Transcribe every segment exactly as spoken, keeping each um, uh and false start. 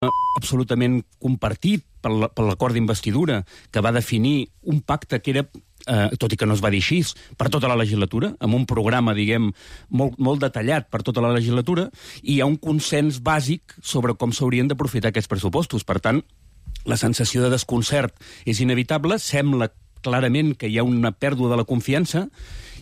absolutament compartit per l'acord d'investidura, que va definir un pacte que era, eh, tot i que no es va dir així, per tota la legislatura, amb un programa, diguem, molt, molt detallat per tota la legislatura, i hi ha un consens bàsic sobre com s'haurien d'aprofitar aquests pressupostos. Per tant, la sensació de desconcert és inevitable, sembla clarament que hi ha una pèrdua de la confiança,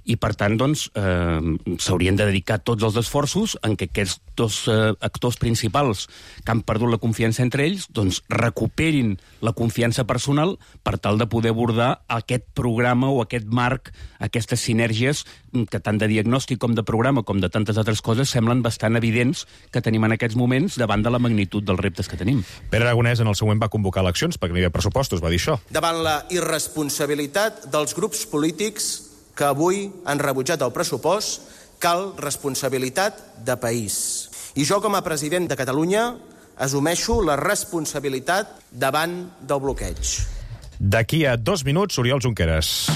i, per tant, doncs, eh, s'haurien de dedicar tots els esforços en què aquests dos eh, actors principals que han perdut la confiança entre ells doncs, recuperin la confiança personal per tal de poder abordar aquest programa o aquest marc, aquestes sinergies que tant de diagnòstic com de programa com de tantes altres coses semblen bastant evidents que tenim en aquests moments davant de la magnitud dels reptes que tenim. Pere Aragonès en el següent va convocar eleccions perquè no hi havia pressupostos, va dir això. Davant la irresponsabilitat dels grups polítics que avui han rebutjat el pressupost, cal responsabilitat de país. I jo, com a president de Catalunya, assumeixo la responsabilitat davant del bloqueig. D'aquí a dos minuts, Oriol Junqueras.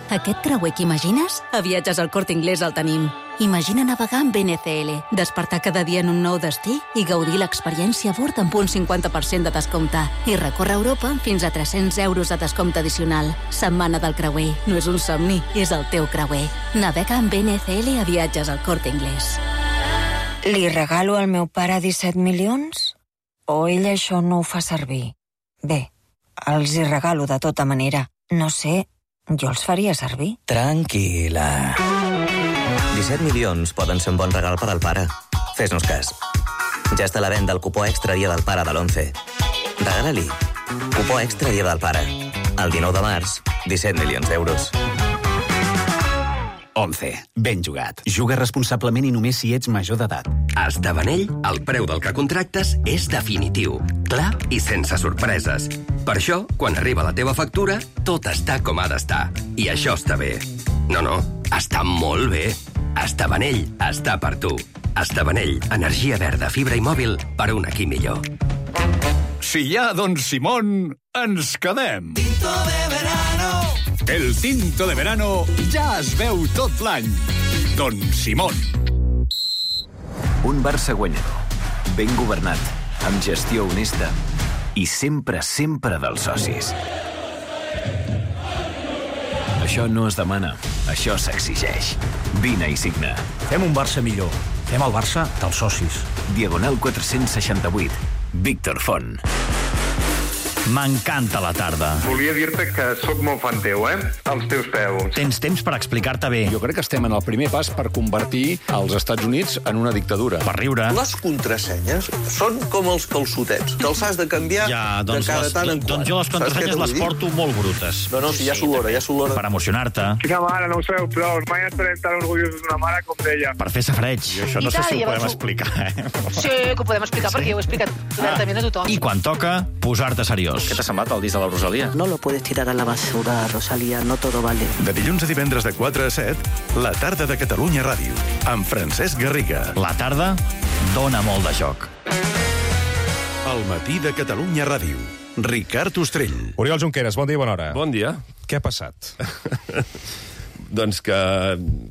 Aquest creuer que imagines? A Viatges al Corte Inglés el tenim. Imagina navegar amb N C L, despertar cada dia en un nou destí i gaudir l'experiència a bord amb un cinquanta per cent de descompte. I recórrer Europa amb fins a tres-cents euros de descompte addicional. Setmana del creuer. No és un somni, és el teu creuer. Navega amb N C L a Viatges al Corte Inglés. Li regalo al meu pare disset milions? O ell això no ho fa servir? Bé, els hi regalo de tota manera. No sé, jo els faria servir. Tranquil·la. disset milions poden ser un bon regal per al pare. Fes-nos cas. Ja està a la venda el cupó extra dia del pare de l'onze. Regala-li. Cupó extra dia del pare. El dinou de març, disset milions d'euros. onze. Ben jugat. Juga responsablement i només si ets major d'edat. A Estabanell, el preu del que contractes és definitiu, clar i sense sorpreses. Per això, quan arriba la teva factura, tot està com ha d'estar. I això està bé. No, no, està molt bé. Estabanell està per tu. Estabanell, energia verda, fibra i mòbil per un aquí millor. Si hi ha Don Simón, ens quedem. Tinto de verano. El tinto de verano ja es veu tot l'any. Don Simón. Un Barça guanyador, ben governat, amb gestió honesta i sempre, sempre dels socis. Això no es demana, això s'exigeix. Vine i signa. Fem un Barça millor. Fem el Barça dels socis. Diagonal quatre-cents seixanta-vuit. Víctor Font. M'encanta la tarda. Volia dir-te que sóc molt fan teu, eh? Als teus peus. Tens temps per explicar-te bé. Jo crec que estem en el primer pas per convertir els Estats Units en una dictadura. Per riure. Les contrasenyes són com els calçotets. Te'ls has de canviar ja, doncs de cada les, tant en quant. Doncs jo les contrasenyes les porto molt brutes. No, no, si ja s'olora, ja s'olora. Per emocionar-te. Quina mare, no ho sabeu prou. Mai estarem tan orgullosos d'una mare com d'ella. Per fer safreig. I això no I sé si ho podem ho... explicar, eh? Sí, que ho podem explicar, sí? Perquè jo ho he explicat obertament a tothom. I quan toca, posar-te seriós. Què t'ha semblat el disc de la Rosalía? No lo puedes tirar a la basura, Rosalía, no todo vale. De dilluns a divendres de quatre a set, la tarda de Catalunya Ràdio, amb Francesc Garriga. La tarda dona molt de joc. El matí de Catalunya Ràdio. Ricard Ostrell. Oriol Junqueras, bon dia i bona hora. Bon dia. Què ha passat? Doncs que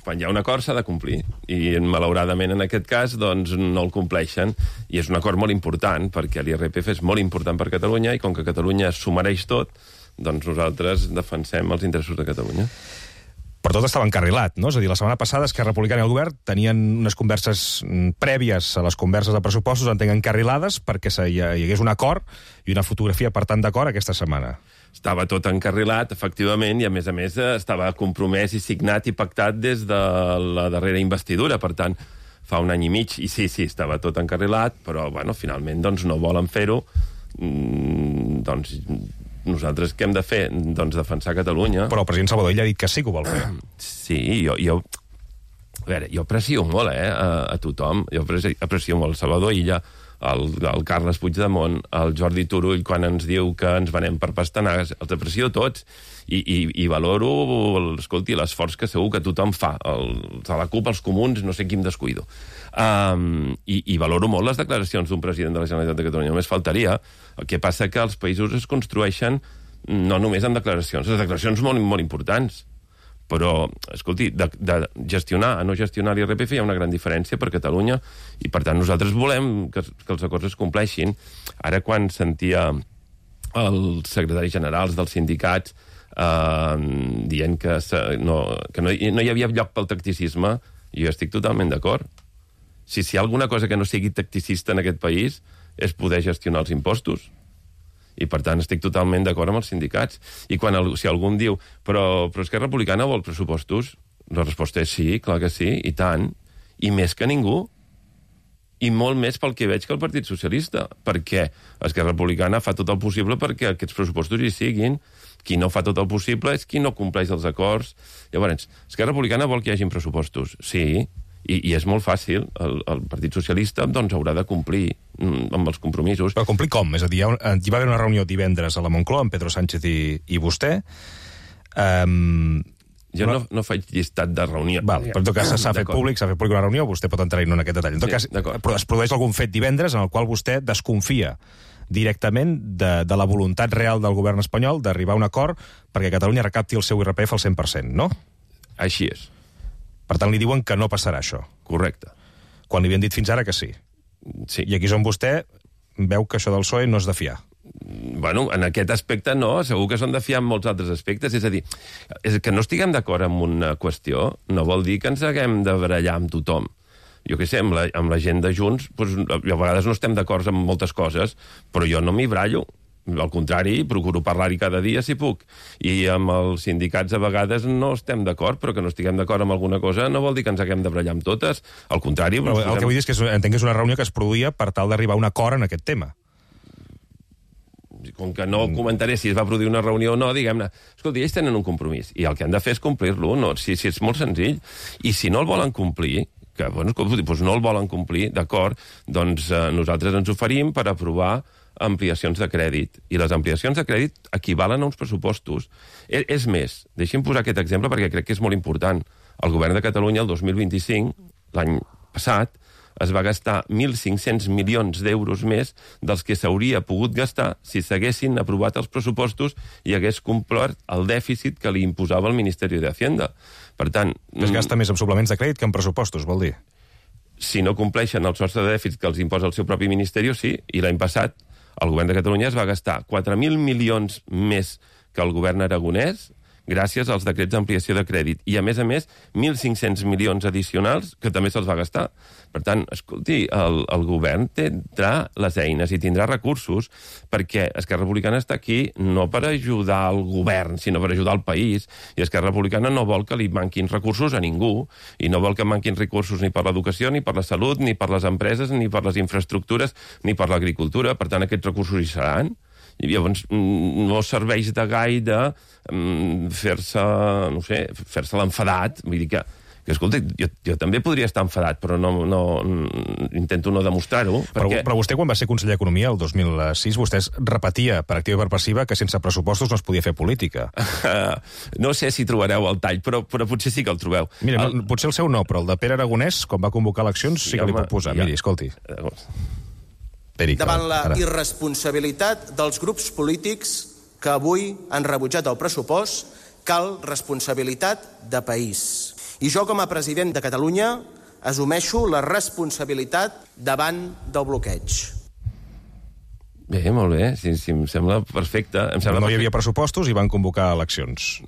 quan hi ha un acord s'ha de complir i malauradament en aquest cas doncs, no el compleixen i és un acord molt important perquè l'I R P F és molt important per Catalunya i com que Catalunya s'ho mereix tot, doncs nosaltres defensem els interessos de Catalunya. Però tot estava encarrilat, no? És a dir, la setmana passada Esquerra Republicana i el govern tenien unes converses prèvies a les converses de pressupostos, entenc encarrilades, perquè hi hagués un acord i una fotografia, per tant, d'acord aquesta setmana. Estava tot encarrilat, efectivament, i a més a més estava compromès i signat i pactat des de la darrera investidura, per tant, fa un any i mig, i sí, sí, estava tot encarrilat, però, bueno, finalment, doncs, no volen fer-ho, mm, doncs, nosaltres què hem de fer? Doncs defensar Catalunya. Però el president Salvador Illa ha dit que sí que ho vol fer. Sí, jo... jo a veure, jo aprecio molt, eh, a, a tothom, jo aprecio, aprecio molt el Salvador Illa, el, el Carles Puigdemont, el Jordi Turull, quan ens diu que ens venem per pastanagues, els aprecio tots, i, i, i valoro, escolti, l'esforç que segur que tothom fa, el, a la CUP, els comuns, no sé qui em descuido. Um, i, I valoro molt les declaracions d'un president de la Generalitat de Catalunya, només faltaria. El que passa que els països es construeixen no només amb declaracions, les declaracions molt, molt importants, Però, escolti, de, de gestionar a no gestionar l'I R P F hi ha una gran diferència per Catalunya i, per tant, nosaltres volem que, que els acords es compleixin. Ara, quan sentia els secretaris generals dels sindicats eh, dient que, se, no, que no, no hi havia lloc pel tacticisme, jo estic totalment d'acord. Si, si hi ha alguna cosa que no sigui tacticista en aquest país és poder gestionar els impostos. I, per tant, estic totalment d'acord amb els sindicats. I quan el, si algú em diu però, però Esquerra Republicana vol pressupostos, la resposta és sí, clar que sí, i tant, i més que ningú. I molt més pel que veig que el Partit Socialista, perquè Esquerra Republicana fa tot el possible perquè aquests pressupostos hi siguin. Qui no fa tot el possible és qui no compleix els acords. Llavors, Esquerra Republicana vol que hi hagin pressupostos, sí, i, i és molt fàcil. El, el Partit Socialista doncs, haurà de complir amb els compromisos. Però complir com? És a dir, hi, ha, hi va haver una reunió divendres a la Moncloa amb Pedro Sánchez i, i vostè. Um, jo no, no faig llistat de reunió. Val, però en tot cas s'ha fet públic, s'ha fet públic una reunió, vostè pot entrar-hi en aquest detall. En tot sí, cas, es produeix algun fet divendres en el qual vostè desconfia directament de, de la voluntat real del govern espanyol d'arribar a un acord perquè Catalunya recapti el seu I R P F al cent per cent, no? Així és. Per tant, li diuen que no passarà això. Correcte. Quan li havien dit fins ara que sí. Sí. I aquí és on vostè veu que això del P S O E no és de fiar. Bueno, en aquest aspecte no, segur que són de fiar en molts altres aspectes. És a dir, és que no estiguem d'acord amb una qüestió no vol dir que ens haguem de barallar amb tothom. Jo què sé, amb la, amb la gent de Junts, doncs, a vegades no estem d'acord amb moltes coses, però jo no m'hi brallo. Al contrari, procuro parlar-hi cada dia si puc. I amb els sindicats a vegades no estem d'acord, però que no estiguem d'acord amb alguna cosa no vol dir que ens haguem de brallar amb totes. Al contrari... Però el que vull dir és que és, entenc que és una reunió que es produïa per tal d'arribar a un acord en aquest tema. Com que no comentaré si es va produir una reunió o no, diguem-ne, escolta, ells tenen un compromís, i el que han de fer és complir-lo, no? Si, si és molt senzill. I si no el volen complir, que bueno, doncs no el volen complir, d'acord, doncs eh, nosaltres ens oferim per aprovar ampliacions de crèdit. I les ampliacions de crèdit equivalen a uns pressupostos. És, és més, deixi'm posar aquest exemple perquè crec que és molt important. El govern de Catalunya, el dos mil vint-i-cinc, l'any passat, es va gastar mil cinc-cents milions d'euros més dels que s'hauria pogut gastar si s'haguessin aprovat els pressupostos i hagués complert el dèficit que li imposava el Ministeri d'Hacienda. Per tant... Es gasta més en suplements de crèdit que en pressupostos, vol dir? Si no compleixen el sostre de dèficit que els imposa el seu propi Ministeri, sí. I l'any passat el govern de Catalunya es va gastar quatre mil milions més que el govern aragonès gràcies als decrets d'ampliació de crèdit. I, a més a més, mil cinc-cents milions addicionals que també se'ls va gastar. Per tant, escolti, el, el govern tindrà les eines i tindrà recursos perquè Esquerra Republicana està aquí no per ajudar el govern, sinó per ajudar el país. I Esquerra Republicana no vol que li manquin recursos a ningú i no vol que manquin recursos ni per l'educació, ni per la salut, ni per les empreses, ni per les infraestructures, ni per l'agricultura. Per tant, aquests recursos hi seran. I llavors no serveix de gaire fer-se, no sé, fer-se l'enfadat. Vull dir que, que escolta, jo, jo també podria estar enfadat, però no, no, intento no demostrar-ho. Però, perquè... però vostè, quan va ser conseller d'Economia, el dos mil sis, vostè repetia per activa i per passiva que sense pressupostos no es podia fer política. No sé si trobareu el tall, però, però potser sí que el trobeu. Mira, el... no, potser el seu no, però el de Pere Aragonès, quan va convocar eleccions, sí, sí que li puc posar. Ja. Miri, escolti. Eric, davant la ara. irresponsabilitat dels grups polítics que avui han rebutjat el pressupost, cal responsabilitat de país. I jo, com a president de Catalunya, assumeixo la responsabilitat davant del bloqueig. Bé, molt bé, sí, sí, em sembla perfecte. Em sembla no hi havia pressupostos i van convocar eleccions.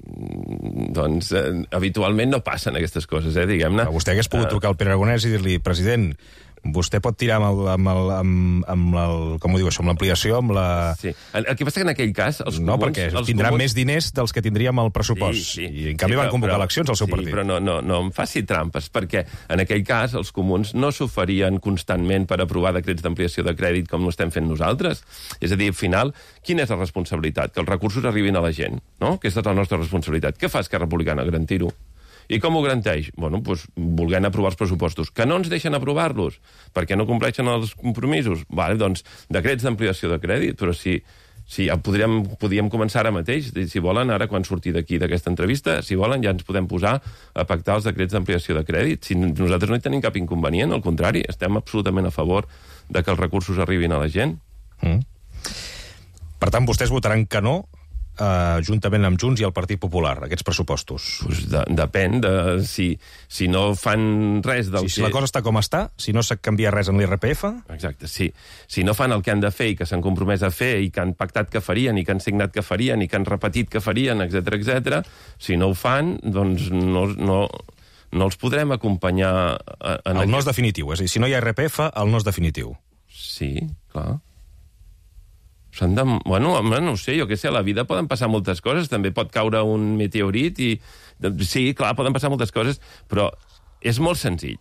Doncs eh, habitualment no passen aquestes coses, eh, diguem-ne. Vostè hagués pogut trucar al Pere Aragonès i dir-li, president, vostè pot tirar amb el, amb el, amb, amb el com ho diu això, amb l'ampliació, amb la... Sí. El, el que passa que en aquell cas... Els no, comuns, perquè els tindrà comuns... més diners dels que tindríem al pressupost. Sí, sí. I en canvi sí, van convocar però, eleccions al seu sí, partit. Però no, no, no em faci trampes, perquè en aquell cas els comuns no s'oferien constantment per aprovar decrets d'ampliació de crèdit com no estem fent nosaltres. És a dir, al final, quina és la responsabilitat? Que els recursos arribin a la gent, no? Aquesta és la nostra responsabilitat. Què fa Esquerra Republicana? Garantir-ho. I com ho garanteix? Bueno, doncs, volent aprovar els pressupostos. Que no ens deixen aprovar-los perquè no compleixen els compromisos? Vale, doncs, decrets d'ampliació de crèdit, però si, si ja podríem, podríem començar ara mateix, si volen, ara quan surti d'aquí d'aquesta entrevista, si volen ja ens podem posar a pactar els decrets d'ampliació de crèdit. Si nosaltres no hi tenim cap inconvenient, al contrari, estem absolutament a favor de que els recursos arribin a la gent. Mm. Per tant, vostès votaran que no eh, juntament amb Junts i el Partit Popular, aquests pressupostos? Pues de, depèn de si, si no fan res del si, que... Si la cosa està com està, si no s'ha canviat res en l'I R P F... Exacte, sí. Si no fan el que han de fer i que s'han compromès a fer i que han pactat que farien i que han signat que farien i que han repetit que farien, etcètera, etcètera, si no ho fan, doncs no, no, no els podrem acompanyar... En el aquest... no és definitiu, és a dir, si no hi ha I R P F, el no és definitiu. Sí, clar. S'han de... Bueno, no ho sé, jo què sé, a la vida poden passar moltes coses, també pot caure un meteorit i... Sí, clar, poden passar moltes coses, però és molt senzill.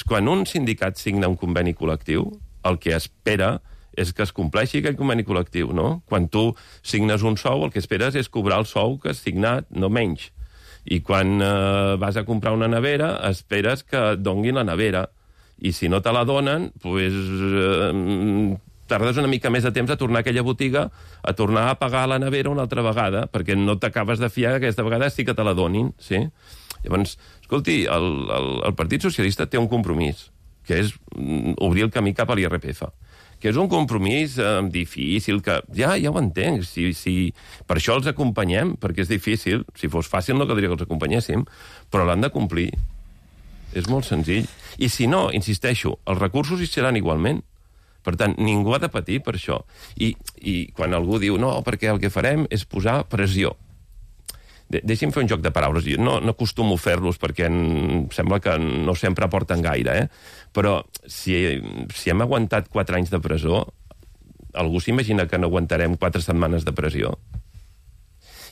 Quan un sindicat signa un conveni col·lectiu, el que espera és que es compleixi aquell conveni col·lectiu, no? Quan tu signes un sou, el que esperes és cobrar el sou que has signat, no menys. I quan eh, vas a comprar una nevera, esperes que et donguin la nevera. I si no te la donen, doncs... Eh, tardes una mica més de temps a tornar a aquella botiga, a tornar a pagar la nevera una altra vegada, perquè no t'acabes de fiar que aquesta vegada sí que te la donin, sí? Llavors, escolti, el, el, el Partit Socialista té un compromís, que és obrir el camí cap a l'I R P F, que és un compromís eh, difícil, que ja ja ho entenc, si, si, per això els acompanyem, perquè és difícil, si fos fàcil no caldria que els acompanyéssim, però l'han de complir. És molt senzill. I si no, insisteixo, els recursos hi seran igualment. Per tant, ningú ha de patir per això. I, i quan algú diu, no, perquè el que farem és posar pressió. De Deixi'm fer un joc de paraules. Jo no, no acostumo a fer-los perquè em sembla que no sempre aporten gaire, eh? Però si, si hem aguantat quatre anys de presó, algú s'imagina que no aguantarem quatre setmanes de pressió?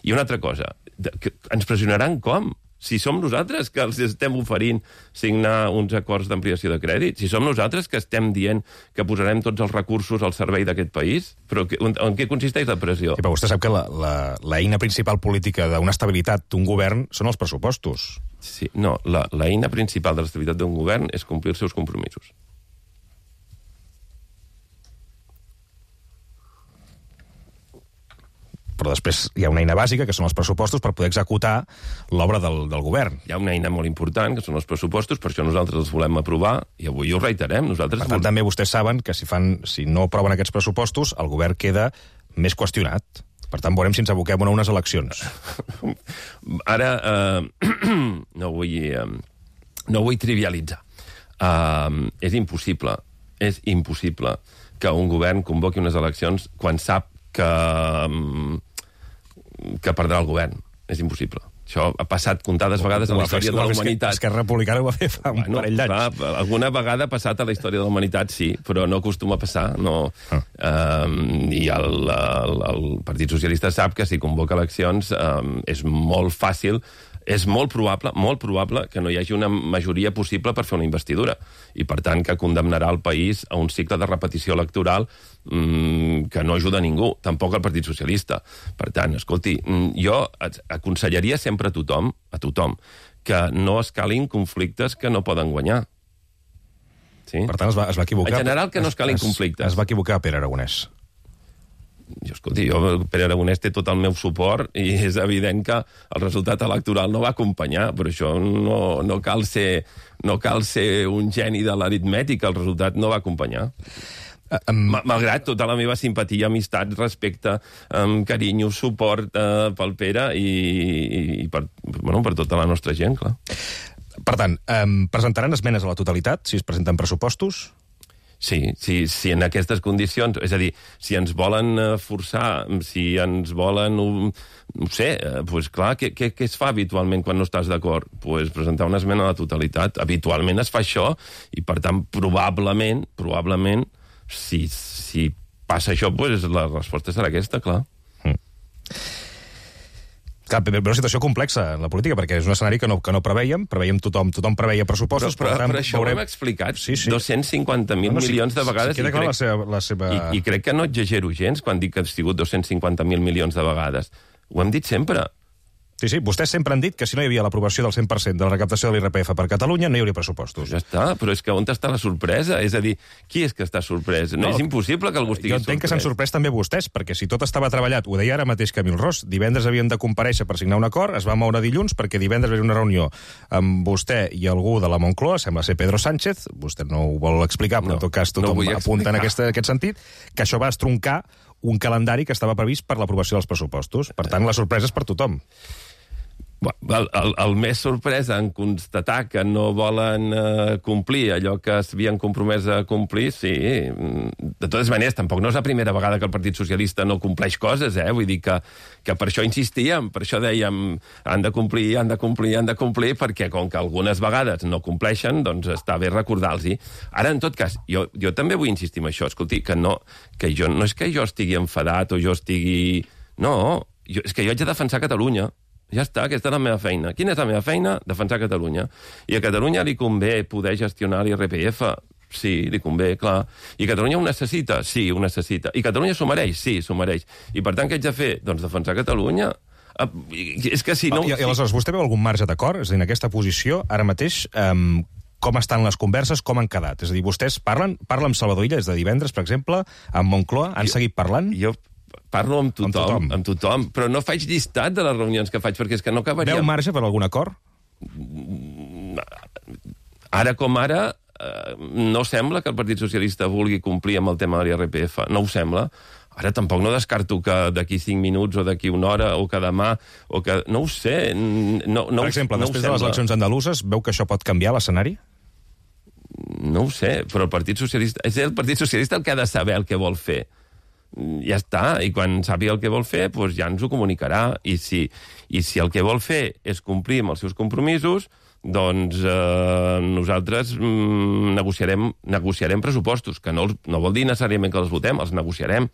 I una altra cosa, de, que ens pressionaran com? Si som nosaltres que els estem oferint signar uns acords d'ampliació de crèdit, si som nosaltres que estem dient que posarem tots els recursos al servei d'aquest país, però que, en, en què consisteix la pressió? Sí, però vostè sap que l'eina principal política d'una estabilitat d'un govern són els pressupostos. Sí, no, l'eina principal de l'estabilitat d'un govern és complir els seus compromisos. Però després hi ha una eina bàsica, que són els pressupostos, per poder executar l'obra del, del govern. Hi ha una eina molt important, que són els pressupostos, per això nosaltres els volem aprovar, i avui ho reiterem. Nosaltres per tant, vol... també vostès saben que si, fan, si no aproven aquests pressupostos, el govern queda més qüestionat. Per tant, veurem si ens aboquem a unes eleccions. Ara, eh, no, vull, eh, no vull trivialitzar. Eh, és impossible, és impossible que un govern convoqui unes eleccions quan sap que... que perdrà el govern. És impossible. Això ha passat comptades vegades en la història de la humanitat. Esquerra Republicana ho va fer fa un bueno, parell d'anys. Alguna vegada ha passat a la història de la humanitat, sí, però no acostuma a passar. No. Ah. Um, I el, el, el Partit Socialista sap que si convoca eleccions um, és molt fàcil, és molt probable, molt probable que no hi hagi una majoria possible per fer una investidura. I, per tant, que condemnarà el país a un cicle de repetició electoral mmm, que no ajuda a ningú, tampoc al Partit Socialista. Per tant, escolti, jo aconsellaria sempre a tothom, a tothom, que no escalin conflictes que no poden guanyar. Sí? Per tant, es va, es va equivocar... En general, que no escalin es, conflictes. Es va equivocar Pere Aragonès. Jo, escolti, jo, Pere Aragonès té tot el meu suport i és evident que el resultat electoral no va acompanyar, però això no, no, cal ser, no cal ser un geni de l'aritmètica, el resultat no va acompanyar. Um... Malgrat tota la meva simpatia, amistat, respecte, um, carinyo, suport uh, pel Pere i, i, i per, bueno, per tota la nostra gent, clar. Per tant, um, presentaran esmenes a la totalitat si es presenten pressupostos? Sí, sí, sí, en aquestes condicions, és a dir, si ens volen forçar, si ens volen, no, no sé, doncs clar, què, què, què es fa habitualment quan no estàs d'acord? Doncs presentar una esmena a la totalitat. Habitualment es fa això, i per tant, probablement, probablement, si, si passa això, doncs la resposta serà aquesta, clar. Mm. Clar, però una situació complexa en la política, perquè és un escenari que no, que no preveiem, preveiem tothom, tothom preveia pressupostos, però, però, però, però això veurem... ho hem explicat sí, sí. dos-cents cinquanta mil no, no, milions de vegades. Sí, queda clar la seva... La seva... I, I crec que no exagero gens quan dic que han sigut dos-cents cinquanta mil milions de vegades. Ho hem dit sempre. Sí, sí, vostès sempre han dit que si no hi havia l'aprovació del cent per cent de la recaptació de l'I R P F per Catalunya, no hi hauria pressupostos. Ja està, però és que on està la sorpresa? És a dir, qui és que està sorprès? No, no és impossible que algú estigui sorprès. Jo entenc que s'han sorprès també vostès, perquè si tot estava treballat, ho deia ara mateix Camil Ros, divendres havien de comparèixer per signar un acord, es va moure dilluns perquè divendres va haver una reunió amb vostè i algú de la Moncloa, sembla ser Pedro Sánchez, vostè no ho vol explicar, però no, en tot cas tothom no apunta en aquest, aquest sentit, que això va estroncar un calendari que estava previst per l'aprovació dels pressupostos. Per tant, la sorpresa és per tothom. El, el, el més sorpresa en constatar que no volen eh, complir allò que s'havien compromès a complir, sí. De totes maneres, tampoc no és la primera vegada que el Partit Socialista no compleix coses, eh? Vull dir que, que per això insistíem, per això dèiem han de complir, han de complir, han de complir, perquè com que algunes vegades no compleixen, doncs està bé recordar-los-hi. Ara, en tot cas, jo, jo també vull insistir en això. Escolti, que no, que jo, no és que jo estigui enfadat o jo estigui... No, jo, és que jo haig de defensar Catalunya. Ja està, aquesta és la meva feina. Quina és la meva feina? Defensar Catalunya. I a Catalunya li convé poder gestionar l'I R P F? Sí, li convé, clar. I Catalunya ho necessita? Sí, ho necessita. I Catalunya s'ho mereix? Sí, s'ho mereix. I per tant, què haig de fer? Doncs defensar Catalunya. És que si no... I, i aleshores, vostè veu algun marge d'acord? És a dir, en aquesta posició, ara mateix, um, com estan les converses, com han quedat? És a dir, vostès parlen, parlen amb Salvador Illa des de divendres, per exemple, amb Moncloa, han jo, seguit parlant? Jo parlo amb tothom, amb tothom, amb tothom, però no faig llistat de les reunions que faig, perquè és que no acabaríem... Veu marge per algun acord? Ara com ara, eh, no sembla que el Partit Socialista vulgui complir amb el tema de l'I R P F, no ho sembla. Ara tampoc no descarto que d'aquí cinc minuts o d'aquí una hora o que demà o que... No ho sé. No, no, per exemple, no després de les eleccions andaluses, veu que això pot canviar l'escenari? No ho sé, però el Partit Socialista... És el Partit Socialista el que ha de saber el que vol fer. Ja està, i quan sàpiga el que vol fer, doncs ja ens ho comunicarà. I si, i si el que vol fer és complir amb els seus compromisos, doncs eh, nosaltres mm, negociarem, negociarem pressupostos, que no, no vol dir necessàriament que els votem, els negociarem.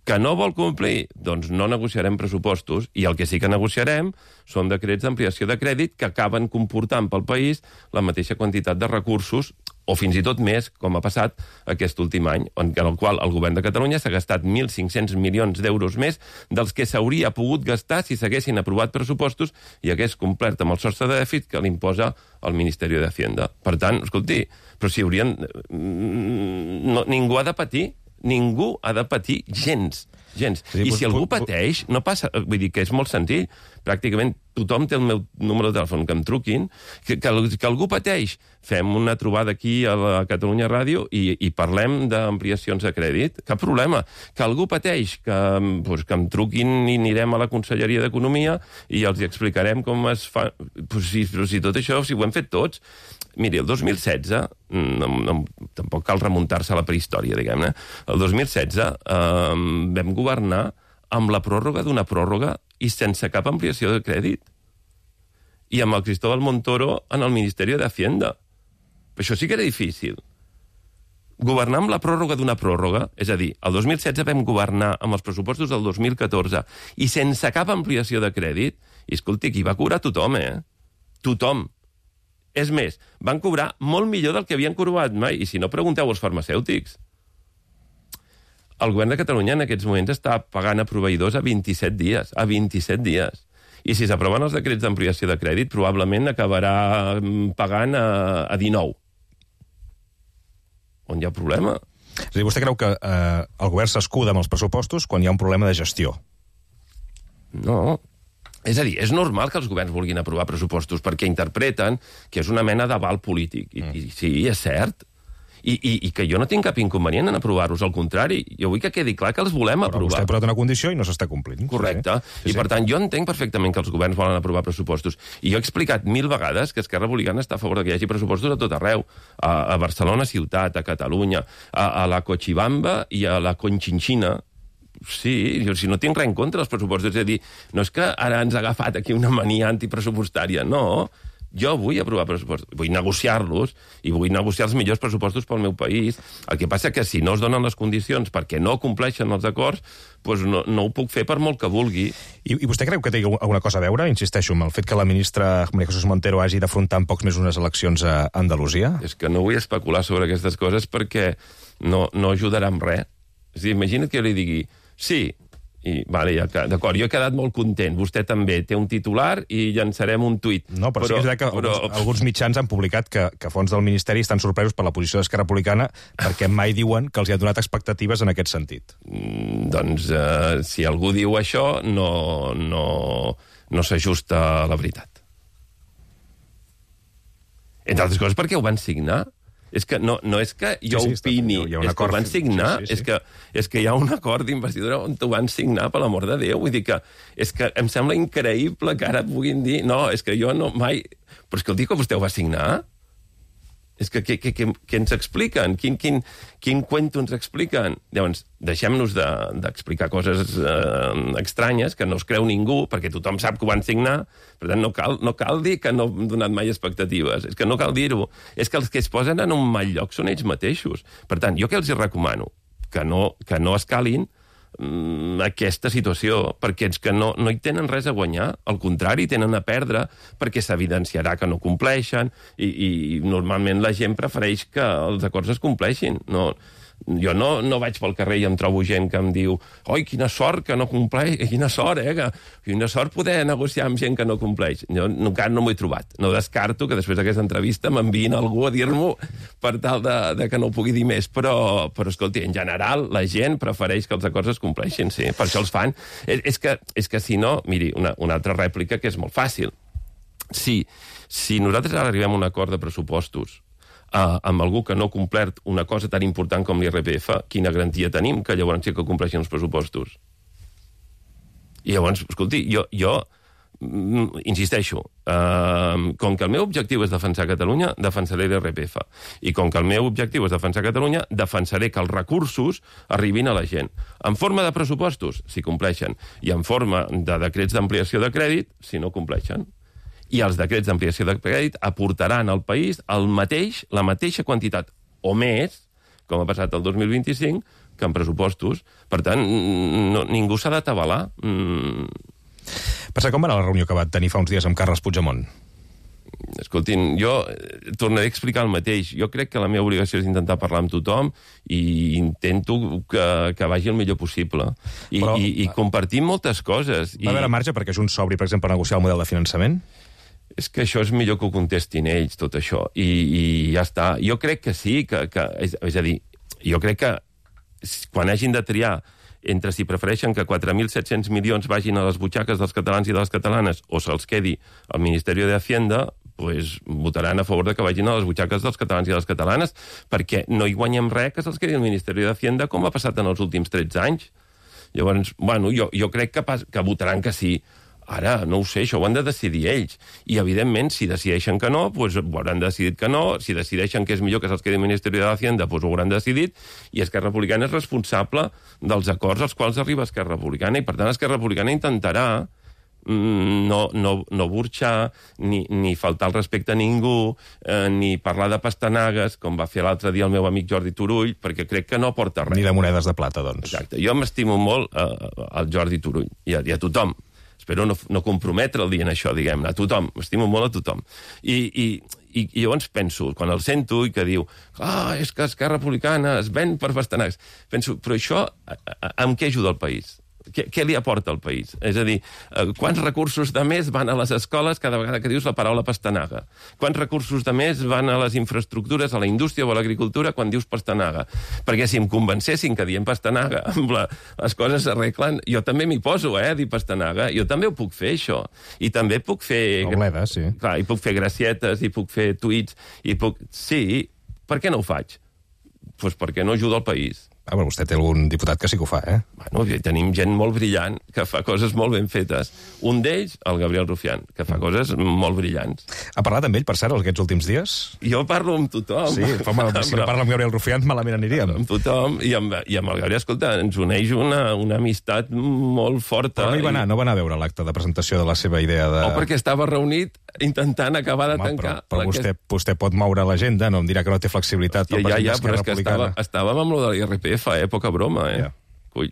Que no vol complir? Doncs no negociarem pressupostos, i el que sí que negociarem són decrets d'ampliació de crèdit que acaben comportant pel país la mateixa quantitat de recursos, o fins i tot més, com ha passat aquest últim any, en el qual el govern de Catalunya s'ha gastat mil cinc-cents milions d'euros més dels que s'hauria pogut gastar si s'haguessin aprovat pressupostos i hagués complert amb el sostre de dèficit que l'imposa el Ministeri d'Hacienda. Per tant, escolti, però si haurien... No, ningú ha de patir, ningú ha de patir gens. gens. Sí, I si algú pateix, no passa... Vull dir que és molt senzill. Pràcticament tothom té el meu número de telèfon, que em truquin, que, que, que algú pateix. Fem una trobada aquí a la Catalunya Ràdio i, i parlem d'ampliacions de crèdit. Cap problema. Que algú pateix, que, pues, que em truquin i anirem a la Conselleria d'Economia i els explicarem com es fa... Pues, si, però si tot això, si ho hem fet tots... Miri, el dos mil setze, no, no, tampoc cal remuntar-se a la prehistòria, diguem-ne, el dos mil setze eh, vam governar amb la pròrroga d'una pròrroga i sense cap ampliació de crèdit. I amb el Cristóbal Montoro en el Ministeri d'Hacienda. Això sí que era difícil. Governar amb la pròrroga d'una pròrroga, és a dir, el dos mil setze vam governar amb els pressupostos del dos mil catorze i sense cap ampliació de crèdit, i escolti, aquí va cobrar tothom, eh? Tothom. És més, van cobrar molt millor del que havien cobrat mai, i si no, pregunteu als farmacèutics. El govern de Catalunya en aquests moments està pagant a proveïdors a vint-i-set dies, a vint-i-set dies. I si s'aproven els decrets d'ampliació de crèdit, probablement acabarà pagant a, a dinou. On hi ha problema? És a dir, vostè creu que eh, el govern s'escuda amb els pressupostos quan hi ha un problema de gestió? No. És a dir, és normal que els governs vulguin aprovar pressupostos perquè interpreten que és una mena d'aval polític. I, mm. i sí, és cert. I, i, I que jo no tinc cap inconvenient en aprovar-los, al contrari. Jo vull que quedi clar que els volem Però aprovar. Vostè ha posat una condició i no s'està complint. Correcte. Sí, sí. I, per tant, jo entenc perfectament que els governs volen aprovar pressupostos. I jo he explicat mil vegades que Esquerra Republicana està a favor que hi hagi pressupostos a tot arreu. A, a Barcelona ciutat, a Catalunya, a, a la Cochabamba i a la Conchinchina. Sí, jo si no tinc res en contra dels pressupostos. És a dir, no és que ara ens ha agafat aquí una mania antipressupostària, no. Jo vull aprovar pressupostos, vull negociar-los i vull negociar els millors pressupostos pel meu país. El que passa que si no es donen les condicions perquè no compleixen els acords, doncs no, no ho puc fer per molt que vulgui. I, I vostè creu que té alguna cosa a veure, insisteixo, amb el fet que la ministra María Jesús Montero hagi d'afrontar en pocs mesos unes eleccions a Andalusia? És que no vull especular sobre aquestes coses perquè no, no ajudarà en res. És a dir, imagina't que jo li digui sí, i, vale, ja, d'acord, jo he quedat molt content, vostè també, té un titular i llançarem un tuit. No, però, però sí que és veritat que però... alguns, alguns mitjans han publicat que, que fons del Ministeri estan sorpresos per la posició d'Esquerra Republicana perquè mai diuen que els hi ha donat expectatives en aquest sentit. Mm, doncs, eh, si algú diu això, no, no, no s'ajusta a la veritat. Entre altres coses perquè ho van signar. És que no, no és que jo sí, sí, opini, hi ha un és que ho van signar, sí, sí, sí. És, que, és que hi ha un acord d'investidura on ho van signar, per l'amor de Déu. Vull dir que, és que em sembla increïble que ara puguin dir no, és que jo no mai... Però és que el dia que vostè ho va signar... És que què, què, què, què ens expliquen? Quin, quin, quin cuento ens expliquen? Llavors, deixem-nos d'explicar de, coses eh, estranyes que no es creu ningú, perquè tothom sap que ho van signar, per tant, no cal, no cal dir que no hem donat mai expectatives. És que no cal dir-ho. És que els que es posen en un mal lloc són ells mateixos. Per tant, jo què els hi recomano? Que no, que no escalin aquesta situació, perquè és que no, no hi tenen res a guanyar, al contrari, tenen a perdre, perquè s'evidenciarà que no compleixen, i, i normalment la gent prefereix que els acords es compleixin. No, jo no, no vaig pel carrer i em trobo gent que em diu oi, quina sort que no compleix, quina sort, eh, que, quina sort poder negociar amb gent que no compleix. Jo encara no m'ho he trobat. No descarto que després d'aquesta entrevista m'enviïn algú a dir-m'ho per tal de, de que no ho pugui dir més, però, però escolti, en general, la gent prefereix que els acords es compleixin, sí, per això els fan. És, és, que, és que si no, miri, una, una altra rèplica que és molt fàcil. Si, si nosaltres ara arribem a un acord de pressupostos Uh, amb algú que no ha complert una cosa tan important com l'I R P F, quina garantia tenim que llavors sí que compleixin els pressupostos? I llavors, escolti, jo, jo mm, insisteixo, uh, com que el meu objectiu és defensar Catalunya, defensaré l'I R P F. I com que el meu objectiu és defensar Catalunya, defensaré que els recursos arribin a la gent. En forma de pressupostos, si compleixen, i en forma de decrets d'ampliació de crèdit, si no compleixen. I els decrets d'ampliació de crèdit aportaran al país el mateix, la mateixa quantitat, o més, com ha passat el dos mil vint-i-cinc, que en pressupostos. Per tant, no, ningú s'ha d'atabalar. Mm. Per cert, com va anar la reunió que va tenir fa uns dies amb Carles Puigdemont? Escoltin, jo tornaré a explicar el mateix. Jo crec que la meva obligació és intentar parlar amb tothom i intento que, que vagi el millor possible. I, Però, i, i compartim moltes coses. Va haver marge perquè Junts s'obri, per exemple, per negociar el model de finançament? És que això és millor que ho contestin ells, tot això. I, i ja està. Jo crec que sí, que, que és, és a dir, jo crec que quan hagin de triar entre si prefereixen que quatre mil set-cents milions vagin a les butxaques dels catalans i de les catalanes o se'ls quedi al Ministeri de Hacienda, pues, votaran a favor de que vagin a les butxaques dels catalans i de les catalanes, perquè no hi guanyem res que se'ls quedi al Ministeri de Hacienda com ha passat en els últims tretze anys. Llavors, bueno, jo, jo crec que, pas, que votaran que sí. Ara, no ho sé, això ho han de decidir ells. I, evidentment, si decideixen que no, doncs ho hauran decidit que no. Si decideixen que és millor que se'ls quedi al Ministeri de Hacienda, doncs ho hauran decidit. I Esquerra Republicana és responsable dels acords als quals arriba Esquerra Republicana. I, per tant, Esquerra Republicana intentarà mm, no, no, no burxar, ni, ni faltar el respecte a ningú, eh, ni parlar de pastanagues, com va fer l'altre dia el meu amic Jordi Turull, perquè crec que no aporta res. Ni de monedes de plata, doncs. Exacte. Jo m'estimo molt eh, al Jordi Turull i a, i a tothom. Espero no, no comprometre el dia en això, diguem-ne, a tothom, estimo molt a tothom. I, i, i, i llavors penso, quan el sento i que diu ah, és que Esquerra Republicana es ven per pastanagues, penso, però això amb què ajuda el país? Què, què li aporta al país? És a dir, quants recursos de més van a les escoles cada vegada que dius la paraula pastanaga? Quants recursos de més van a les infraestructures, a la indústria o a l'agricultura quan dius pastanaga? Perquè si em convencessin que dient pastanaga la, les coses s'arreglen, jo també m'hi poso, eh, a dir pastanaga. Jo també ho puc fer, això. I també puc fer... Obleda, sí. Clar, i puc fer gracietes, i puc fer tuits, i puc... Sí, per què no ho faig? Doncs pues perquè no ajuda el país. Ah, però vostè té algun diputat que sí que ho fa, eh? Bueno, tenim gent molt brillant, que fa coses molt ben fetes. Un d'ells, el Gabriel Rufián, que fa coses molt brillants. Ha parlat amb ell, per cert, aquests últims dies? Jo parlo amb tothom. Sí, home, si no parla amb Gabriel Rufián, malament aniríem. Amb tothom, i amb, i amb el Gabriel, escolta, ens uneix una, una amistat molt forta. Però no hi va anar, i... no va anar a veure l'acte de presentació de la seva idea de... O perquè estava reunit intentant acabar de home, tancar... Però, però vostè, vostè pot moure l'agenda, no em dirà que no té flexibilitat. Ja, ja, ja, però és que estava, estàvem amb lo de l'I R P F, eh? Poca broma, eh? Yeah. Cull,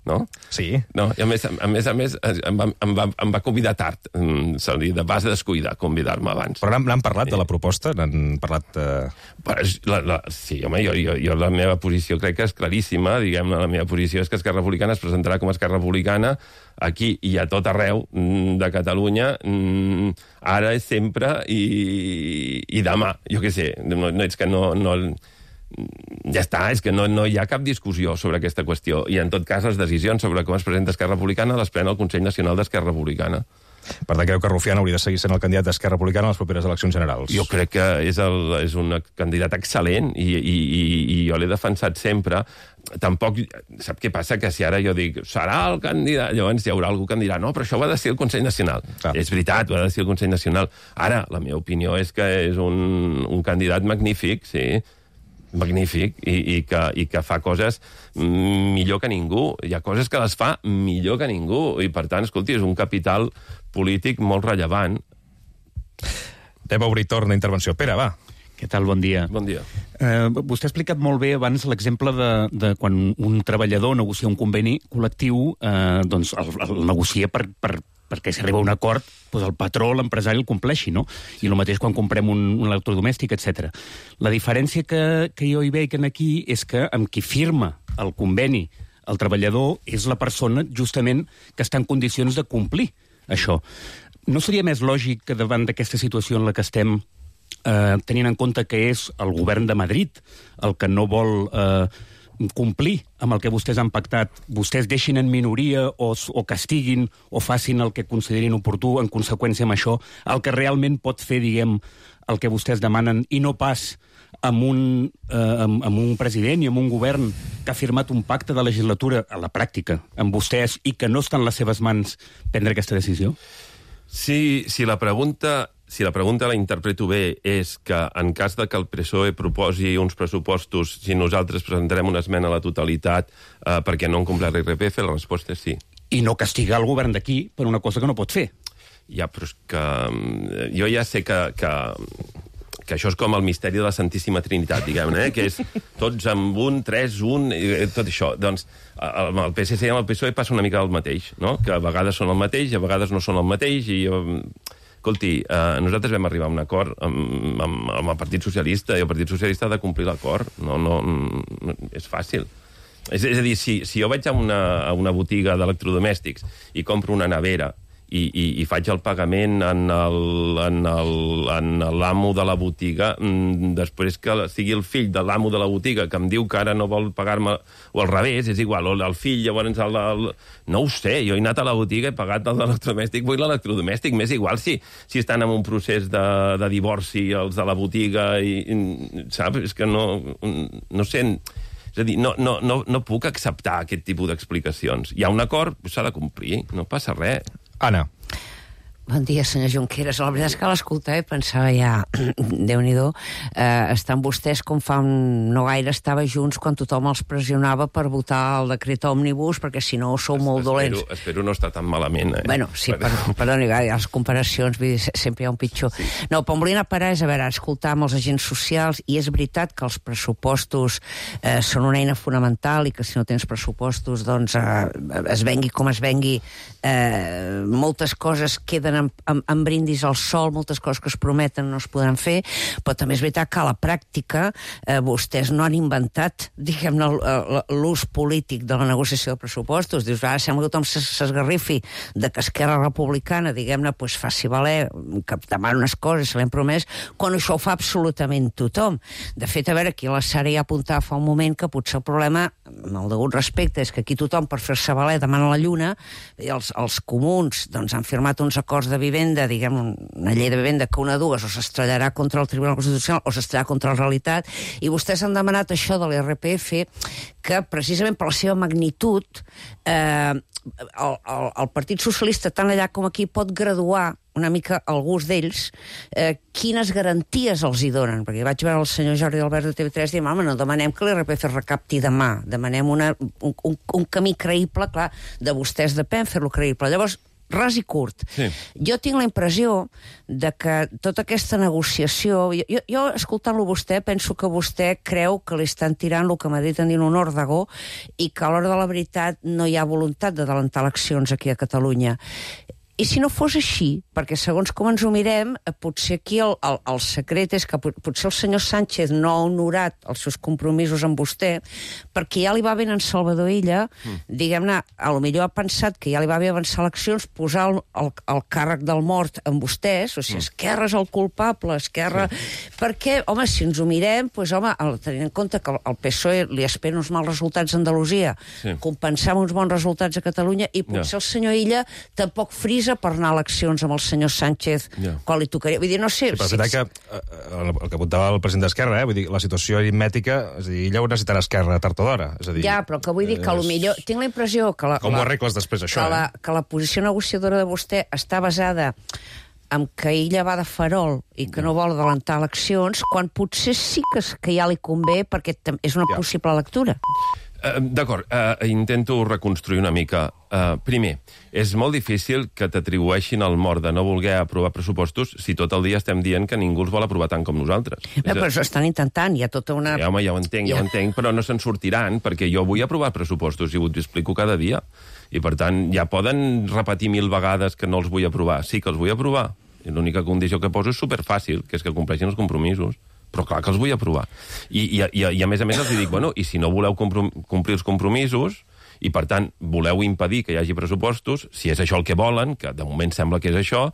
no? Sí. No, i a més, a més, a més em, va, em, va, em va convidar tard. Se li de base descuidar convidar-me abans. Però n'han parlat sí. de la proposta? N'han parlat... Uh... La, la, sí, home, jo, jo, jo la meva posició crec que és claríssima. Diguem-ne, la meva posició és que Esquerra Republicana es presentarà com a Esquerra Republicana aquí i a tot arreu de Catalunya, ara és sempre i, i demà. Jo què sé, no, no, és que no... no ja està, és que no, no hi ha cap discussió sobre aquesta qüestió. I, en tot cas, les decisions sobre com es presenta Esquerra Republicana les pren el Consell Nacional d'Esquerra Republicana. Per tant, creu que Rufián hauria de seguir sent el candidat d'Esquerra Republicana a les properes eleccions generals. Jo crec que és, el, és un candidat excel·lent i, i, i, i jo l'he defensat sempre. Tampoc, sap què passa? Que si ara jo dic, serà el candidat, llavors hi haurà algú que em dirà, no, però això ho ha de ser el Consell Nacional. Clar. És veritat, ho ha de ser el Consell Nacional. Ara, la meva opinió és que és un, un candidat magnífic, sí, magnífic, i, i, que, i que fa coses millor que ningú. Hi ha coses que les fa millor que ningú, i per tant, escolti, és un capital polític molt rellevant. Anem a obrir torn d'intervenció. Pere, va. Què tal? Bon dia. Bon dia. Eh, vostè ha explicat molt bé abans l'exemple de, de quan un treballador negocia un conveni col·lectiu, eh, doncs el, el negocia per, per, perquè si arriba a un acord, doncs el patró, l'empresari, el compleixi, no? I el mateix quan comprem un, un electrodomèstic, etcètera. La diferència que, que jo hi veig aquí és que amb qui firma el conveni el treballador és la persona justament que està en condicions de complir això. No seria més lògic que davant d'aquesta situació en la que estem, eh, tenint en compte que és el govern de Madrid el que no vol eh, complir amb el que vostès han pactat, vostès deixin en minoria o, o castiguin o facin el que considerin oportú en conseqüència amb això, el que realment pot fer, diguem, el que vostès demanen i no pas amb un, eh, amb, amb un president i amb un govern que ha firmat un pacte de legislatura a la pràctica amb vostès i que no està en les seves mans prendre aquesta decisió? Si, si la pregunta... Si la pregunta la interpreto bé és que en cas de que el P S O E proposi uns pressupostos, si nosaltres presentarem una esmena a la totalitat eh, perquè no han complert l'I R P F, la resposta és sí. I no castigar el govern d'aquí per una cosa que no pot fer. Ja, però és que... Jo ja sé que, que, que això és com el misteri de la Santíssima Trinitat, diguem-ne, eh? Que és tots amb un, tres, un, tot això. Doncs amb el P S C i amb el P S O E passa una mica el mateix, no? Que a vegades són el mateix i a vegades no són el mateix i... Escolti, eh, nosaltres vam arribar a un acord amb, amb, amb el Partit Socialista i el Partit Socialista ha de complir l'acord. No, no, no, és fàcil. És, és a dir, si, si jo vaig a una, a una botiga d'electrodomèstics i compro una nevera i, i, i faig el pagament en l'amo de la botiga, després que sigui el fill de l'amo de la botiga que em diu que ara no vol pagar-me, o al revés, és igual, o el fill, llavors el, el... no ho sé, jo he anat a la botiga, he pagat el de l'electrodomèstic, vull l'electrodomèstic, m'és igual si, si estan en un procés de, de divorci els de la botiga, i, i, saps? És que no, no sé... És a dir, no, no, no, no puc acceptar aquest tipus d'explicacions. Hi ha un acord, s'ha de complir, no passa res. Anna. Bon dia, senyor Junqueras. La veritat és que a l'escoltar i pensava ja, Déu-n'hi-do, eh, estan vostès com fa un... no gaire estava junts quan tothom els pressionava per votar el decret òmnibus, perquè si no sou molt espero, dolents. Espero no estar tan malament, eh? Bueno, sí, per, perdoni, les comparacions, vull dir, sempre hi ha un pitjor. Sí. No, però em volia anar a parar, és a veure, escoltar amb els agents socials, i és veritat que els pressupostos eh, són una eina fonamental i que si no tens pressupostos, doncs eh, es vengui com es vengui, eh, moltes coses queden en, en, en brindis al sol, moltes coses que es prometen no es podran fer, però també és veritat que a la pràctica eh, vostès no han inventat, diguem-ne, l'ús polític de la negociació de pressupostos. Dius, ara sembla que tothom s'esgarrifi de que Esquerra Republicana, diguem-ne, pues, faci valer, que demana unes coses, se l'hem promès, quan això ho fa absolutament tothom. De fet, a veure, aquí la Sara ja apuntava fa un moment que potser el problema, amb el degut respecte, és que aquí tothom, per fer-se valer, demana la lluna, i els, els comuns doncs, han firmat uns acords de vivenda, diguem, una llei de vivenda que una dues o s'estrellarà contra el Tribunal Constitucional o s'estrellarà contra la realitat, i vostès han demanat això de l'I R P F, que precisament per la seva magnitud eh, el, el, el Partit Socialista, tant allà com aquí, pot graduar una mica al gust d'ells, eh, quines garanties els hi donen. Perquè vaig veure el senyor Jordi Albert de T V tres i diem, home, no demanem que l'I R P F es recapti demà, demanem una, un, un, un camí creïble, clar, de vostès depèn fer-lo creïble. Llavors, ras i curt. Sí. Jo tinc la impressió de que tota aquesta negociació... Jo, jo escoltant-lo vostè, penso que vostè creu que li estan tirant el que m'ha dit en dir un òrdego i que a l'hora de la veritat no hi ha voluntat d'adelantar eleccions aquí a Catalunya. I si no fos així, perquè segons com ens ho mirem, potser aquí el, el, el secret és que potser el senyor Sánchez no ha honorat els seus compromisos amb vostè, perquè ja li va bé en Salvador Illa, mm. diguem-ne, a lo millor ha pensat que ja li va bé avançar eleccions, posar el, el, el càrrec del mort amb vostès, o sigui, mm. Esquerra és el culpable, Esquerra... Sí. Perquè, home, si ens ho mirem, doncs, home, tenint en compte que el P S O E li espera uns mals resultats a Andalusia, sí. compensar uns bons resultats a Catalunya, i potser yeah. el senyor Illa tampoc frisa prisa per anar a eleccions amb el senyor Sánchez Ja. quan li tocaria? Vull dir, no sé... Sí, però és veritat que eh, el que apuntava el president d'Esquerra, eh, vull dir, la situació aritmètica, és a dir, ella ho necessitarà Esquerra tard o d'hora. És a dir, Ja, però que vull dir que és- potser... Tinc la impressió que la, Com la, ho arregles després, això, que, la, eh? que la posició negociadora de vostè està basada en que ella va de farol i que no vol adelantar eleccions, quan potser sí que, que ja li convé perquè tam- és una Ja. possible lectura. Uh, D'acord, uh, intento reconstruir una mica. Uh, primer, és molt difícil que t'atribueixin el mort de no voler aprovar pressupostos si tot el dia estem dient que ningú els vol aprovar tant com nosaltres. Bé, però això estan intentant, hi ha tota una... Ja, home, ja ho entenc, ja ho entenc, però no se'n sortiran, perquè jo vull aprovar pressupostos i ho explico cada dia. I, per tant, ja poden repetir mil vegades que no els vull aprovar. Sí que els vull aprovar. I l'única condició que poso és superfàcil, que és que compleixin els compromisos. Però clar que els vull aprovar. I, i, i, i a més a més els dic, bueno, i si no voleu comprom complir els compromisos, i per tant voleu impedir que hi hagi pressupostos, si és això el que volen, que de moment sembla que és això,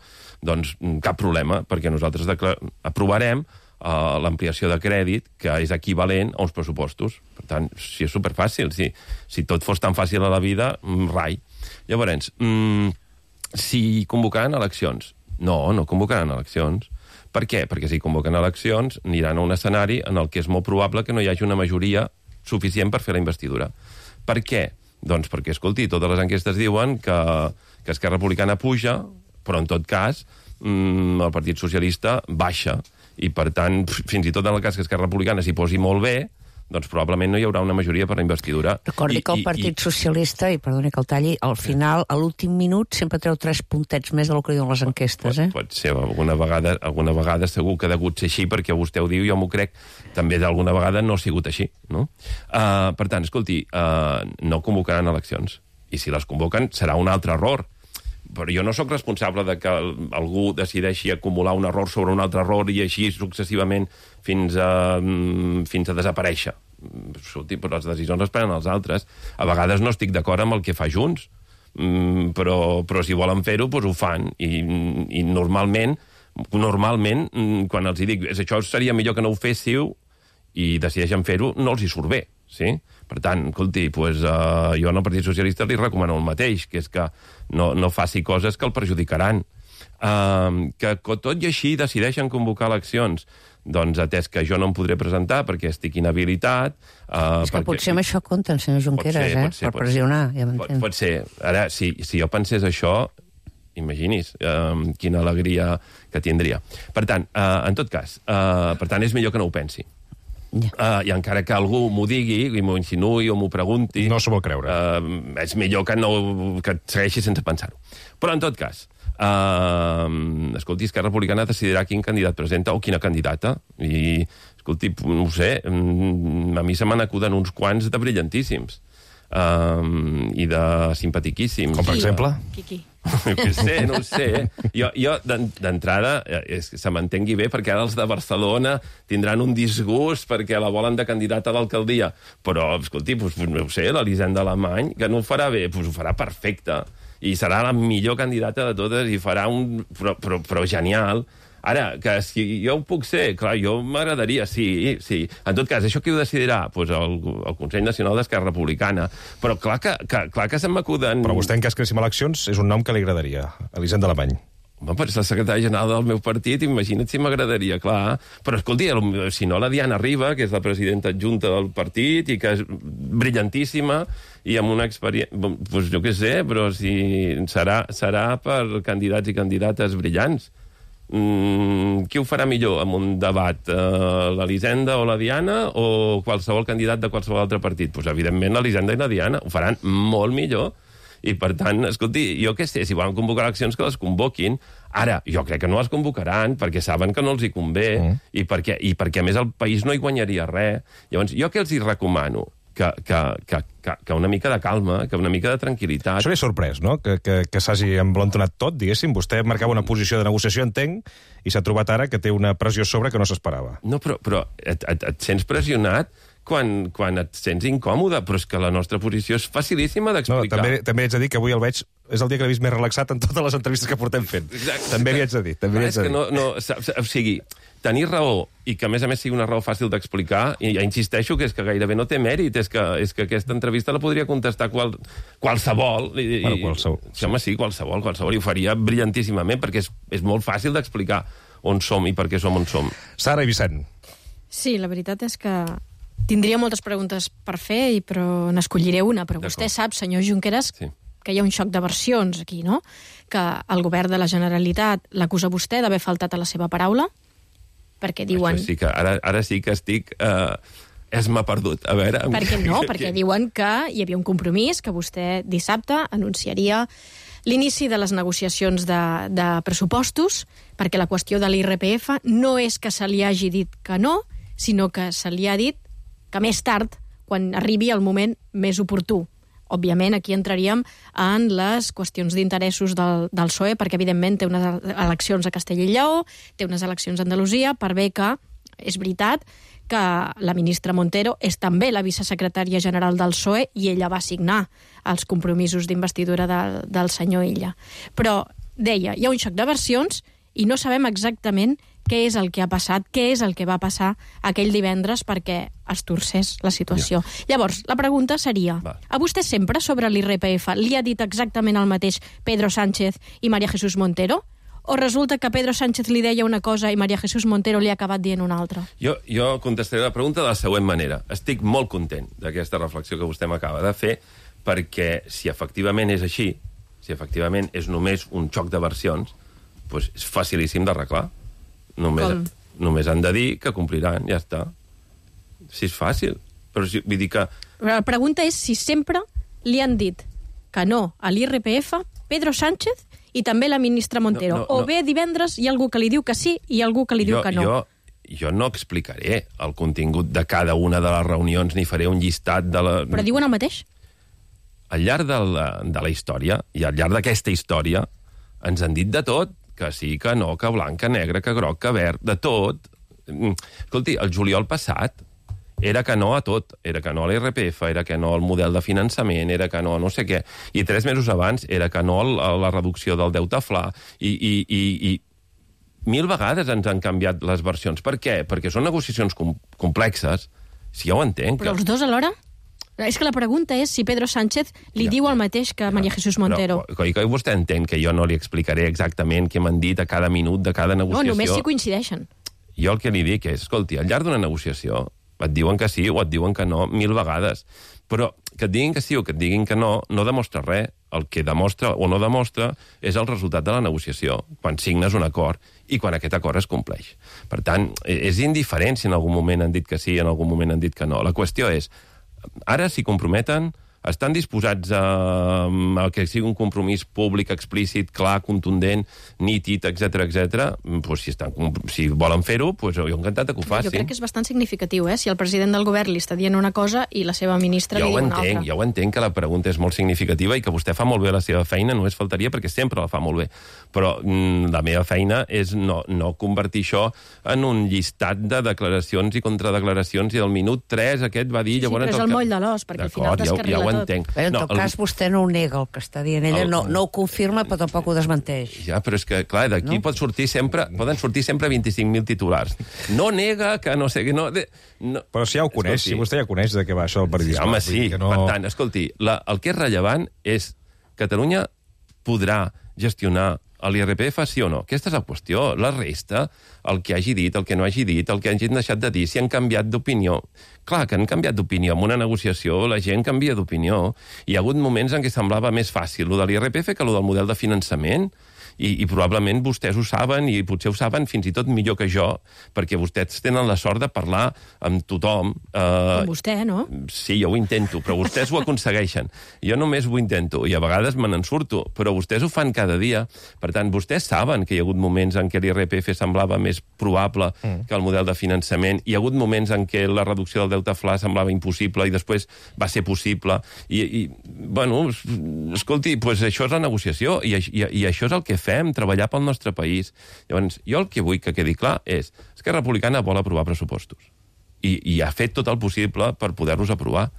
doncs cap problema, perquè nosaltres aprovarem uh, l'ampliació de crèdit, que és equivalent a uns pressupostos. Per tant, si és superfàcil, si, si tot fos tan fàcil a la vida, rai. Llavors, mm, si convocaran eleccions? No, no convocaran eleccions. Per què? Perquè si convoquen eleccions aniran a un escenari en el que és molt probable que no hi hagi una majoria suficient per fer la investidura. Per què? Doncs perquè, escolti, totes les enquestes diuen que, que Esquerra Republicana puja, però en tot cas mmm, el Partit Socialista baixa. I per tant, fins i tot en el cas que Esquerra Republicana s'hi posi molt bé, doncs probablement no hi haurà una majoria per la investidura. Recordi I, que el Partit i, Socialista, i perdoni que el talli, al final, a l'últim minut, sempre treu tres puntets més del que diuen les enquestes, eh? Pot, pot ser, alguna vegada, alguna vegada segur que ha degut ser així, perquè vostè ho diu, jo m'ho crec, també d'alguna vegada no ha sigut així, no? Uh, per tant, escolti, uh, no convocaran eleccions. I si les convoquen, serà un altre error. Però jo no sóc responsable de que algú decideixi acumular un error sobre un altre error i així successivament fins a, fins a desaparèixer. Però les decisions les prenen els altres. A vegades no estic d'acord amb el que fa Junts, però, però si volen fer-ho, doncs ho fan. I, i normalment, normalment, quan els dic això seria millor que no ho féssiu i decideixen fer-ho, no els hi surt bé. Sí? Per tant, escolti, pues, uh, jo al Partit Socialista li recomano el mateix, que és que no, no faci coses que el perjudicaran. Uh, que tot i així decideixen convocar eleccions, doncs atès que jo no em podré presentar perquè estic inhabilitat... Uh, és que perquè... potser amb això compten, senyor Junqueras, ser, eh? ser, per pressionar, ja pot, pot ser. Ara, si, si jo pensés això, imagini's uh, quina alegria que tindria. Per tant, uh, en tot cas, uh, per tant, és millor que no ho pensi. Yeah. Uh, I encara que algú m'ho digui, i m'ho insinuï o m'ho pregunti... No s'ho vol creure. Uh, és millor que, no, que segueixi sense pensar-ho. Però, en tot cas, uh, escolti, Esquerra Republicana decidirà quin candidat presenta o quina candidata. I, escolti, no ho sé, a mi se me n'acuden uns quants de brillantíssims. Um, i de simpatiquíssims. Com per exemple? Quiqui. No ho sé, no ho sé. Jo, jo d'entrada, és que se m'entengui bé, perquè ara els de Barcelona tindran un disgust perquè la volen de candidata a l'alcaldia. Però, escolti, doncs, no ho sé, l'Elisenda Alemany, que no ho farà bé, doncs ho farà perfecte. I serà la millor candidata de totes i farà un... però, però, però genial. Ara, que si jo ho puc ser, clar, jo m'agradaria, sí, sí. En tot cas, això qui ho decidirà? Pues el, el Consell Nacional d'Esquerra Republicana. Però clar que, que, clar que se m'acuden... Però vostè, en cas que anessin eleccions, és un nom que li agradaria, Elisenda Alemany. Home, però és la secretària general del meu partit, imagina't si m'agradaria, clar. Però, escolti, si no, la Diana Riba, que és la presidenta adjunta del partit i que és brillantíssima i amb una experiència... Doncs jo què sé, però si serà, serà per candidats i candidates brillants. Mm, qui ho farà millor amb un debat? Uh, l'Elisenda o la Diana o qualsevol candidat de qualsevol altre partit? Doncs, evidentment, l'Elisenda i la Diana ho faran molt millor. I, per tant, escolti, jo què sé, si volen convocar eleccions, que les convoquin. Ara, jo crec que no les convocaran, perquè saben que no els hi convé, mm. i, perquè, i perquè, a més, el país no hi guanyaria res. Llavors, jo què els hi recomano? Que, que, que, que, que una mica de calma, que una mica de tranquil·litat. Això l'he sorprès, no?, que, que, que s'hagi emblantonat tot, diguéssim. Vostè marcava una posició de negociació, entenc, i s'ha trobat ara que té una pressió sobre que no s'esperava. No, però, però et, et, et sents pressionat quan, quan et sents incòmode, però és que la nostra posició és facilíssima d'explicar. No, també, també haig de dir que avui el veig... És el dia que l'he vist més relaxat en totes les entrevistes que portem fent. Exacte. També li haig de dir. També li haig de dir. No, no, o sigui, tenir raó i que, a més a més, sigui una raó fàcil d'explicar, i ja insisteixo que és que gairebé no té mèrit, és que, és que aquesta entrevista la podria contestar qual, qualsevol. I, bueno, qualsevol. Sí, home, sí, qualsevol, qualsevol, i ho faria brillantíssimament, perquè és, és molt fàcil d'explicar on som i per què som on som. Sara i Vicent. Sí, la veritat és que tindria moltes preguntes per fer, però n'escolliré una. Però vostè sap, senyor Junqueras, sí, que hi ha un xoc de versions aquí, no? Que el govern de la Generalitat l'acusa vostè d'haver faltat a la seva paraula, perquè diuen... Això sí que, ara, ara sí que estic... Eh, és m'ha perdut. A veure... Per què no? Perquè diuen que hi havia un compromís, que vostè dissabte anunciaria l'inici de les negociacions de, de pressupostos, perquè la qüestió de l'I R P F no és que se li hagi dit que no, sinó que se li ha dit que més tard, quan arribi el moment més oportú. Òbviament, aquí entraríem en les qüestions d'interessos del, del P S O E, perquè, evidentment, té unes eleccions a Castella i Lleó, té unes eleccions a Andalusia, per bé que és veritat que la ministra Montero és també la vicesecretària general del P S O E i ella va signar els compromisos d'investidura de, del senyor Illa. Però, deia, hi ha un xoc de versions i no sabem exactament què és el que ha passat, què és el que va passar aquell divendres perquè es torcés la situació. Ja. Llavors, la pregunta seria, va. A vostè sempre sobre l'I R P F li ha dit exactament el mateix Pedro Sánchez i María Jesús Montero? O resulta que Pedro Sánchez li deia una cosa i María Jesús Montero li ha acabat dient una altra? Jo, jo contestaré la pregunta de la següent manera. Estic molt content d'aquesta reflexió que vostè m'acaba de fer, perquè si efectivament és així, si efectivament és només un xoc de versions, doncs és facilíssim d'arreglar. Només, només han de dir que compliran, ja està. Si és fàcil. Però si, vull dir que... Però la pregunta és si sempre li han dit que no a l'I R P F Pedro Sánchez i també la ministra Montero. No, no, o bé divendres hi ha algú que li diu que sí i algú que li diu jo, que no. Jo, jo no explicaré el contingut de cada una de les reunions ni faré un llistat de la... Però diuen el mateix? Al llarg de la, de la història, i al llarg d'aquesta història, ens han dit de tot. Que sí, que no, que blanc, que negre, que groc, que verd, de tot. Escolti, el juliol passat era que no a tot. Era que no a l'I R P F, era que no al model de finançament, era que no a no sé què. I tres mesos abans era que no a la reducció del deute fla. I, i, i, i mil vegades ens han canviat les versions. Per què? Perquè són negociacions com, complexes. Si ja ho entenc. Però els dos alhora? És que la pregunta és si Pedro Sánchez li ja, diu el mateix que ja, María Jesús Montero. Però, que vostè entén que jo no li explicaré exactament què m'han dit a cada minut de cada negociació. No, només si coincideixen. Jo el que li dic és, escolti, al llarg d'una negociació et diuen que sí o et diuen que no mil vegades. Però que et diguin que sí o que et diguin que no, no demostra res. El que demostra o no demostra és el resultat de la negociació, quan signes un acord i quan aquest acord es compleix. Per tant, és indiferent si en algun moment han dit que sí i en algun moment han dit que no. La qüestió és, ara s'hi comprometen, estan disposats a, a que sigui un compromís públic, explícit, clar, contundent, nítid, etcètera, etcètera. Pues si, estan, si volen fer-ho, pues jo encantat que ho facin. Jo crec que és bastant significatiu, eh? Si el president del govern li està dient una cosa i la seva ministra jo li diu entenc, una altra. Jo ho entenc, que la pregunta és molt significativa i que vostè fa molt bé la seva feina, només faltaria perquè sempre la fa molt bé. Però mm, la meva feina és no, no convertir això en un llistat de declaracions i contradeclaracions i del minut tres aquest va dir... Sí, llavors però és el, el moll de l'os, perquè al final descarrila ja, ja tot. Entenc. Bé, en no, tot el... cas, vostè no ho nega el que està dient. Ella el... no, no ho confirma, però tampoc ho desmenteix. Ja, però és que, clar, d'aquí no? pot sortir sempre, poden sortir sempre vint-i-cinc mil titulars. No nega que no sé... Que no, de, no... Però si ja ho coneix, escolti, si vostè ja coneix de què va això el periodisme. Sí, home, sí. No... Per tant, escolti, la, el que és rellevant és Catalunya podrà gestionar l'I R P F sí o no? Aquesta és la qüestió. La resta, el que hagi dit, el que no hagi dit, el que hagin deixat de dir, si han canviat d'opinió. Clar que han canviat d'opinió. En una negociació la gent canvia d'opinió. Hi ha hagut moments en què semblava més fàcil lo de l'I R P F que lo del model de finançament. I, i probablement vostès ho saben i potser ho saben fins i tot millor que jo, perquè vostès tenen la sort de parlar amb tothom. Eh, amb vostè, no? Sí, jo ho intento, però vostès ho aconsegueixen. Jo només ho intento i a vegades me n'en surto, però vostès ho fan cada dia. Per tant, vostès saben que hi ha hagut moments en què l'I R P F semblava més probable mm. que el model de finançament. Hi ha hagut moments en què la reducció del deute fla semblava impossible i després va ser possible. I, i bueno, escolti, pues això és la negociació i, i, i això és el que fem. Fem, treballar pel nostre país. Llavors, jo el que vull que quedi clar és Esquerra Republicana vol aprovar pressupostos. i, i ha fet tot el possible per poder-los aprovar.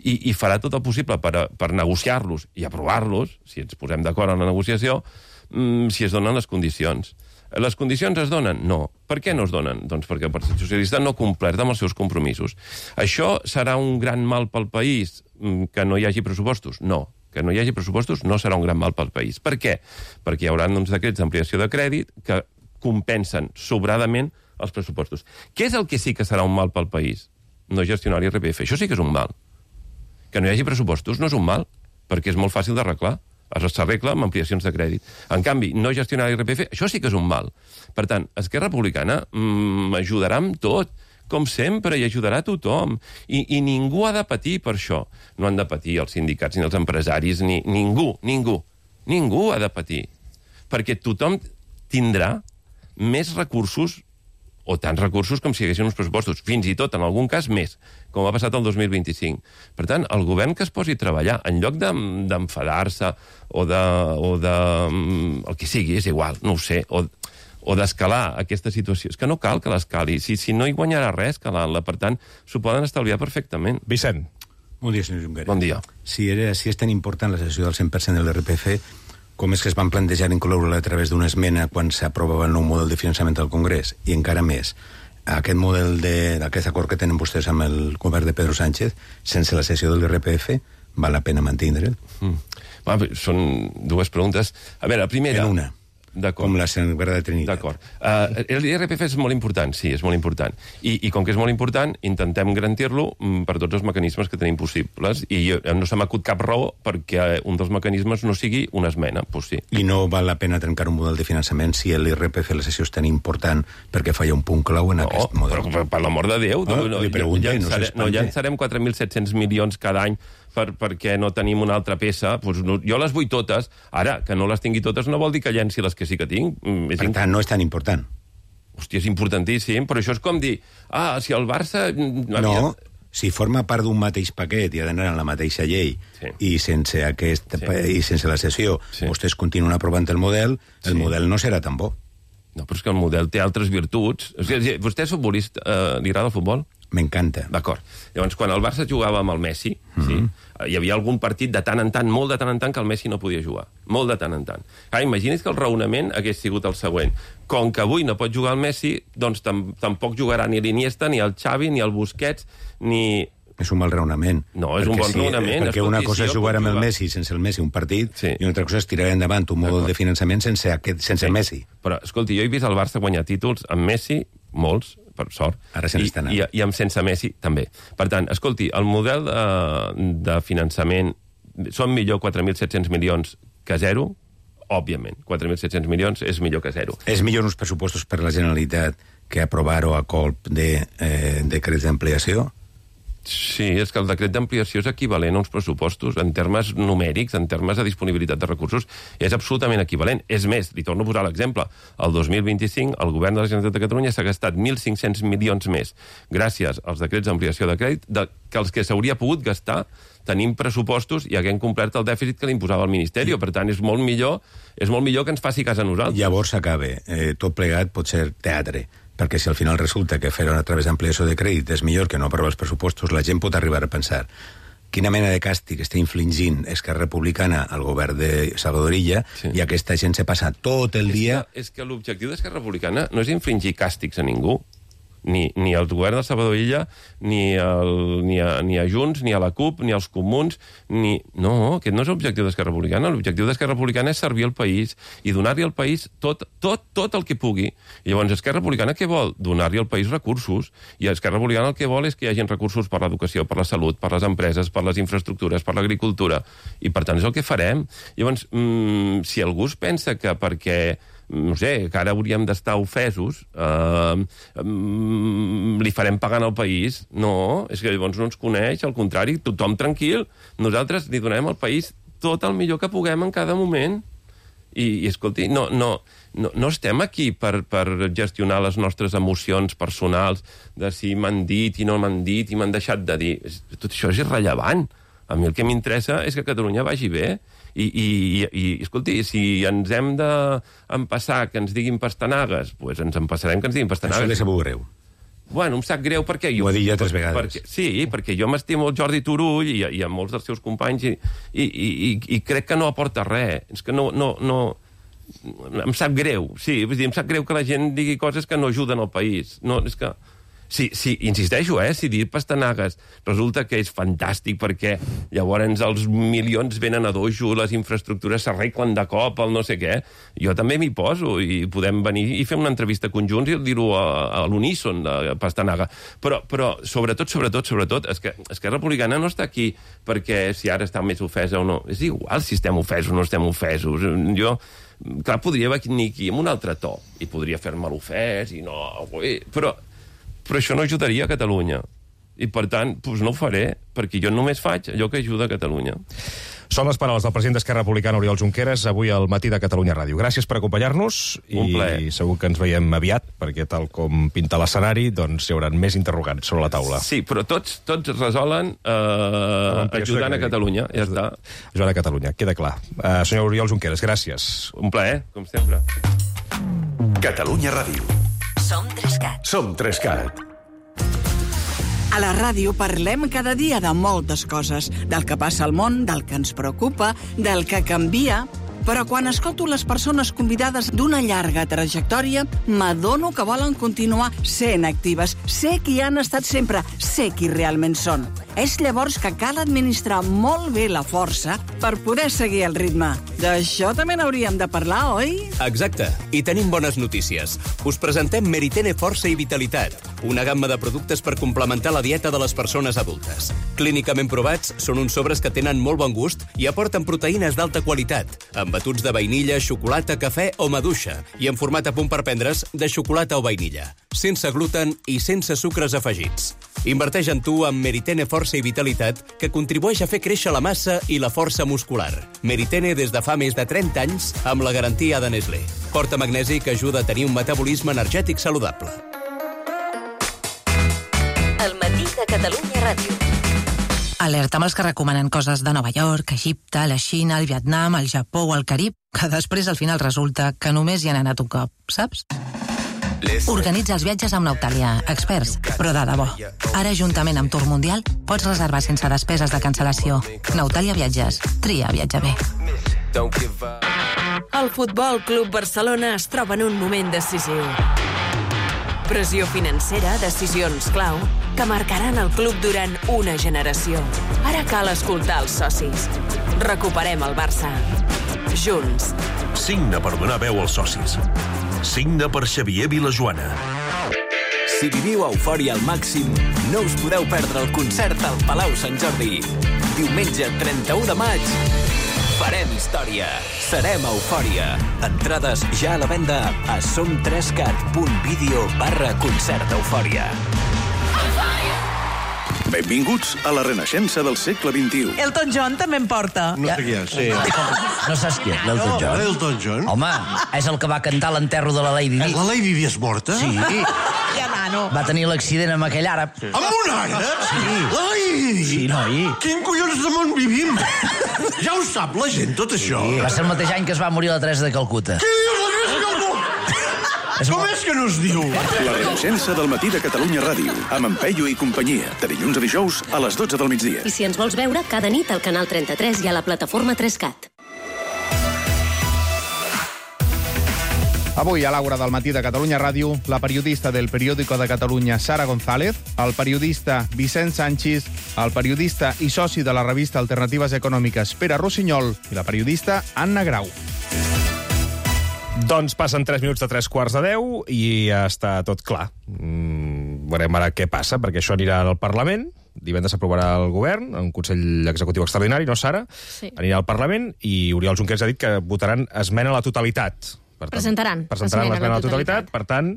I, i farà tot el possible per, per negociar-los i aprovar-los, si ens posem d'acord en la negociació, mmm, si es donen les condicions. Les condicions es donen? No. Per què no es donen? Doncs perquè el Partit Socialista no ha complert amb els seus compromisos. Això serà un gran mal pel país, que no hi hagi pressupostos? No. Que no hi hagi pressupostos no serà un gran mal pel país. Per què? Perquè hi haurà uns decrets d'ampliació de crèdit que compensen sobradament els pressupostos. Què és el que sí que serà un mal pel país? No gestionar l'I R P F. Això sí que és un mal. Que no hi hagi pressupostos no és un mal, perquè és molt fàcil d'arreglar. S'arregla amb ampliacions de crèdit. En canvi, no gestionar l'I R P F, això sí que és un mal. Per tant, Esquerra Republicana mmm, ajudarà amb tot, com sempre, i ajudarà a tothom. I, I ningú ha de patir per això. No han de patir els sindicats ni els empresaris, ni ningú, ningú. Ningú ha de patir. Perquè tothom tindrà més recursos o tants recursos com si hi haguessin uns pressupostos. Fins i tot, en algun cas, més, com ha passat el dos mil vint-i-cinc. Per tant, el govern que es posi a treballar, en lloc d'enfadar-se o de, o de... el que sigui, és igual, no ho sé, o, o d'escalar aquesta situació. És que no cal que l'escali. Si, si no hi guanyarà res escalant-la, per tant, s'ho poden estalviar perfectament. Vicent. Bon dia, senyor Junqueras. Bon dia. Si, era, si és tan important la cessió del cent per cent de l'I R P F, com és que es van plantejar incloure-la a través d'una esmena quan s'aprovava el nou model de finançament del Congrés? I encara més, aquest model d'aquest acord que tenen vostès amb el govern de Pedro Sánchez, sense la cessió de l'I R P F, val la pena mantindre'l? Mm. Va, són dues preguntes. A veure, la primera... En una. Com la Sagrada Trinitat. D'acord. Uh, L'I R P F és molt important, sí, és molt important. I, i com que és molt important, intentem garantir-lo per tots els mecanismes que tenim possibles. I jo, no se m'acut cap raó perquè un dels mecanismes no sigui una esmena, doncs sí. I no val la pena trencar un model de finançament si l'I R P F la sessió és tan important perquè falla un punt clau en no, aquest model? Però per, per l'amor de Déu, ah, no, li pregunta, llançarem, no, no llançarem quatre mil set-cents milions cada any per, perquè no tenim una altra peça. Pues no, jo les vull totes. Ara, que no les tingui totes no vol dir que llenci les que sí que tinc. És per tant, no és tan important. Hòstia, és importantíssim, però això és com dir, ah, si el Barça... No, si forma part d'un mateix paquet i ha d'anar en la mateixa llei sí. i sense aquest sí. i sense la sessió sí. vostès continuen aprovant el model, el sí. model no serà tan bo. No, però és que el model té altres virtuts. O sigui, vostè és futbolista, eh, li agrada el futbol? M'encanta. D'acord. Llavors, quan el Barça jugava amb el Messi, mm-hmm. sí, hi havia algun partit de tant en tant, molt de tant en tant, que el Messi no podia jugar. Molt de tant en tant. Ah, imagini's que el raonament hagués sigut el següent. Com que avui no pot jugar el Messi, doncs tam tampoc jugarà ni l'Iniesta, ni el Xavi, ni el Busquets, ni... És un mal raonament. No, és perquè un bon si, raonament. Perquè una cosa és jugar amb el Messi sense el Messi un partit sí. i una altra cosa és tirar endavant un model de finançament sense, aquest, sense sí. el Messi. Però, escolti, jo he vist el Barça guanyar títols amb Messi, molts, per sort, ara se n'està anant. I, i amb sense Messi també. Per tant, escolti, el model de, de finançament són millor quatre mil set-cents milions que zero, òbviament. quatre mil set-cents milions és millor que zero. És millor uns pressupostos per la Generalitat que aprovar-ho a colp de eh, decrets d'ampliació? Sí, és que el decret d'ampliació és equivalent a uns pressupostos en termes numèrics, en termes de disponibilitat de recursos, és absolutament equivalent. És més, li torno a posar l'exemple. El dos mil vint-i-cinc, el govern de la Generalitat de Catalunya s'ha gastat mil cinc-cents milions més gràcies als decrets d'ampliació de crèdit de, que els que s'hauria pogut gastar tenim pressupostos i haguem complert el dèficit que li imposava el Ministeri. Per tant, és molt millor, és molt millor que ens faci cas a nosaltres. Llavors s'acaba. Eh, tot plegat pot ser teatre. Perquè si al final resulta que fer-ho a través d'ampliació de crèdit és millor que no aprovar els pressupostos, la gent pot arribar a pensar quina mena de càstig està infligint Esquerra Republicana al govern de Salvador Illa sí. i aquesta gent se passa tot el és dia... Que, és que l'objectiu d'Esquerra Republicana no és infligir càstigs a ningú. Ni, ni el govern de Salvador Illa, ni, el, ni, a, ni a Junts, ni a la CUP, ni als Comuns, ni... No, aquest no és l'objectiu d'Esquerra Republicana. L'objectiu d'Esquerra Republicana és servir al país i donar-li al país tot, tot, tot el que pugui. I llavors, Esquerra Republicana què vol? Donar-li al país recursos. I Esquerra Republicana el que vol és que hi hagi recursos per l'educació, per la salut, per les empreses, per les infraestructures, per l'agricultura. I, per tant, és el que farem. Llavors, mmm, si algú es pensa que perquè... no sé, que ara hauríem d'estar ofesos, eh, mm, li farem pagant al país. No, és que llavors no ens coneix, al contrari, tothom tranquil. Nosaltres li donem al país tot el millor que puguem en cada moment. I, i escolti, no, no, no, no estem aquí per, per gestionar les nostres emocions personals de si m'han dit i no m'han dit i m'han deixat de dir. Tot això és irrellevant. A mi el que m'interessa és que Catalunya vagi bé. I, i, i, escolti, si ens hem d'empassar que ens diguin pastanagues, doncs ens empassarem que ens diguin pastanagues. Això li sabut greu. bueno, em sap greu perquè... Jo, Ho ha dit ja tres vegades. Perquè, sí, perquè jo m'estimo el Jordi Turull i, i a molts dels seus companys i, i, i, i crec que no aporta res. És que no... no, no em sap greu, sí, vull dir, em sap greu que la gent digui coses que no ajuden al país. No, és que... Sí, sí, insisteixo, eh, si dir pastanagues resulta que és fantàstic perquè llavors els milions venen a dojo, les infraestructures s'arreglen de cop, el no sé què, jo també m'hi poso i podem venir i fer una entrevista conjunts i dir-ho a, a l'uníson, de pastanaga. Però, però sobretot, sobretot, sobretot, és que Esquerra Republicana no està aquí perquè si ara està més ofesa o no. És igual si estem ofesos o no estem ofesos. Jo... Clar, podria venir aquí amb un altre to i podria fer-me l'ofès i no... Però... però això no ajudaria a Catalunya. I, per tant, doncs no ho faré, perquè jo només faig allò que ajuda a Catalunya. Són les paraules del president d'Esquerra Republicana, Oriol Junqueras, avui al matí de Catalunya Ràdio. Gràcies per acompanyar-nos i segur que ens veiem aviat, perquè tal com pinta l'escenari, doncs hi haurà més interrogants sobre la taula. Sí, però tots, tots es resolen eh, ajudant a Catalunya, ja està. Ajudant a Catalunya, queda clar. Uh, senyor Oriol Junqueras, gràcies. Un plaer, com sempre. Catalunya Ràdio. Som Trescat. Som Trescat. A la ràdio parlem cada dia de moltes coses, del que passa al món, del que ens preocupa, del que canvia... Però quan escolto les persones convidades d'una llarga trajectòria, m'adono que volen continuar sent actives. Sé qui han estat sempre, sé qui realment són. És llavors que cal administrar molt bé la força per poder seguir el ritme. D'això també n'hauríem de parlar, oi? Exacte. I tenim bones notícies. Us presentem Meritene Força i Vitalitat, una gamma de productes per complementar la dieta de les persones adultes. Clínicament provats, són uns sobres que tenen molt bon gust i aporten proteïnes d'alta qualitat, amb batuts de vainilla, xocolata, cafè o maduixa, i en format a punt per prendre's de xocolata o vainilla, sense gluten i sense sucres afegits. Inverteix en tu amb Meritene Força i Vitalitat, que contribueix a fer créixer la massa i la força muscular. Meritene des de fa més de trenta anys, amb la garantia de Nestlé. Porta magnesi que ajuda a tenir un metabolisme energètic saludable. El matí de Catalunya Ràdio. Alerta amb els que recomanen coses de Nova York, Egipte, la Xina, el Vietnam, el Japó o el Carib, que després al final resulta que només hi han anat un cop, saps? Organitza els viatges amb Nautalia, experts, però de debò. Ara, juntament amb Tour Mundial, pots reservar sense despeses de cancel·lació. Nautalia Viatges. Tria viatjar bé. El Futbol Club Barcelona es troba en un moment decisiu. Pressió financera, decisions clau, que marcaran el club durant una generació. Ara cal escoltar els socis. Recuperem el Barça. Junts. Signa per donar veu als socis. Signa per Xavier Vilajoana. Si viviu eufòria al màxim, no us podeu perdre el concert al Palau Sant Jordi. Diumenge trenta-u de maig, farem història. Serem eufòria. Entrades ja a la venda a somtrescat.video barra concert eufòria. Benvinguts a la renaixença del segle vint-i-u. Elton John també en porta. No sé qui és. Sí. No saps qui és, l'Elton John? No, l'Elton John? Home, és el que va cantar l'enterro de la Lady Di. La Lady Di és morta? Sí. Ja, nano. Va tenir l'accident amb aquell àrab. Sí. Amb un àrab? Sí. La Lady Di? Sí, noi. Quin collons de món vivim? Ja ho sap la gent, tot això. Sí, va ser el mateix any que es va morir la Teresa de Calcuta. Què dius, la Teresa de Calcuta? Com és que no es diu? La renaixença del matí de Catalunya Ràdio, amb en Peyu i companyia, de dilluns a dijous a les dotze del migdia. I si ens vols veure, cada nit al canal trenta-tres i a la plataforma Trescat. Avui, a l'Aura del matí de Catalunya Ràdio, la periodista del Periódico de Catalunya, Sara González, el periodista Vicent Sanchis, el periodista i soci de la revista Alternatives Econòmiques, Pere Rossinyol, i la periodista Anna Grau. Doncs passen tres minuts de tres quarts de deu i ja està tot clar. Mm, veurem ara què passa, perquè això anirà al Parlament. Divendres s'aprovarà el govern, un Consell Executiu Extraordinari, no, Sara? Sí. Anirà al Parlament i Oriol Junqueras ha dit que votaran esmena a la totalitat. Per tant, presentaran. Presentaran l'esmena a la totalitat. Per tant,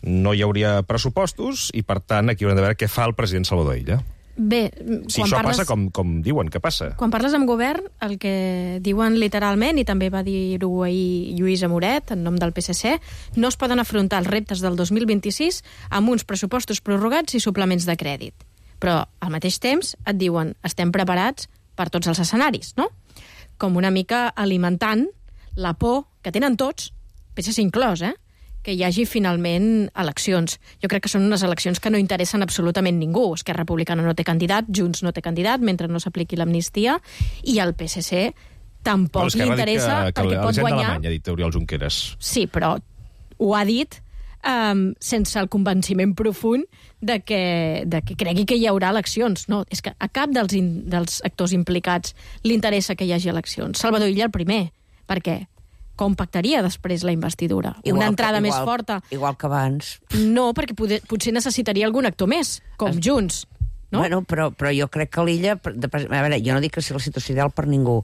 no hi hauria pressupostos i, per tant, aquí haurem de veure què fa el president Salvador Illa. Bé, si quan això parles... passa com, com diuen que passa. Quan parles amb govern, el que diuen literalment, i també va dir-ho ahir Lluís Amoret, en nom del P S C, no es poden afrontar els reptes del dos mil vint-i-sis amb uns pressupostos prorrogats i suplements de crèdit. Però, al mateix temps, et diuen estem preparats per tots els escenaris, no? Com una mica alimentant la por que tenen tots, P S C inclòs, eh? que hi hagi finalment eleccions. Jo crec que són unes eleccions que no interessen absolutament ningú. Esquerra Republicana no té candidat, Junts no té candidat, mentre no s'apliqui l'amnistia, i el P S C tampoc bueno, li interessa que, que perquè pot guanyar... ha dit Oriol Junqueras. Sí, però ho ha dit um, sense el convenciment profund de que, de que cregui que hi haurà eleccions. No, és que a cap dels, in, dels actors implicats li interessa que hi hagi eleccions. Salvador Illa el primer. Per què? Com pactaria després la investidura? Igual Una entrada que, igual, més forta? Igual que abans. No, perquè poder, potser necessitaria algun actor més, com es... Junts. No? Bueno, però, però jo crec que l'Illa... A veure, jo no dic que sigui la situació ideal per ningú.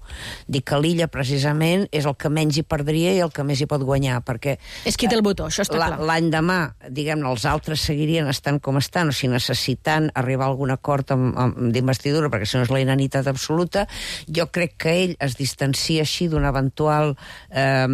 Dic que l'Illa, precisament, és el que menys hi perdria i el que més hi pot guanyar, perquè... És qui té el botó, això està clar. L'any demà, diguem-ne, els altres seguirien estant com estan, o sigui, necessitant arribar a algun acord d'investidura, perquè si no és la inanitat absoluta. Jo crec que ell es distancia així d'un eventual... Eh,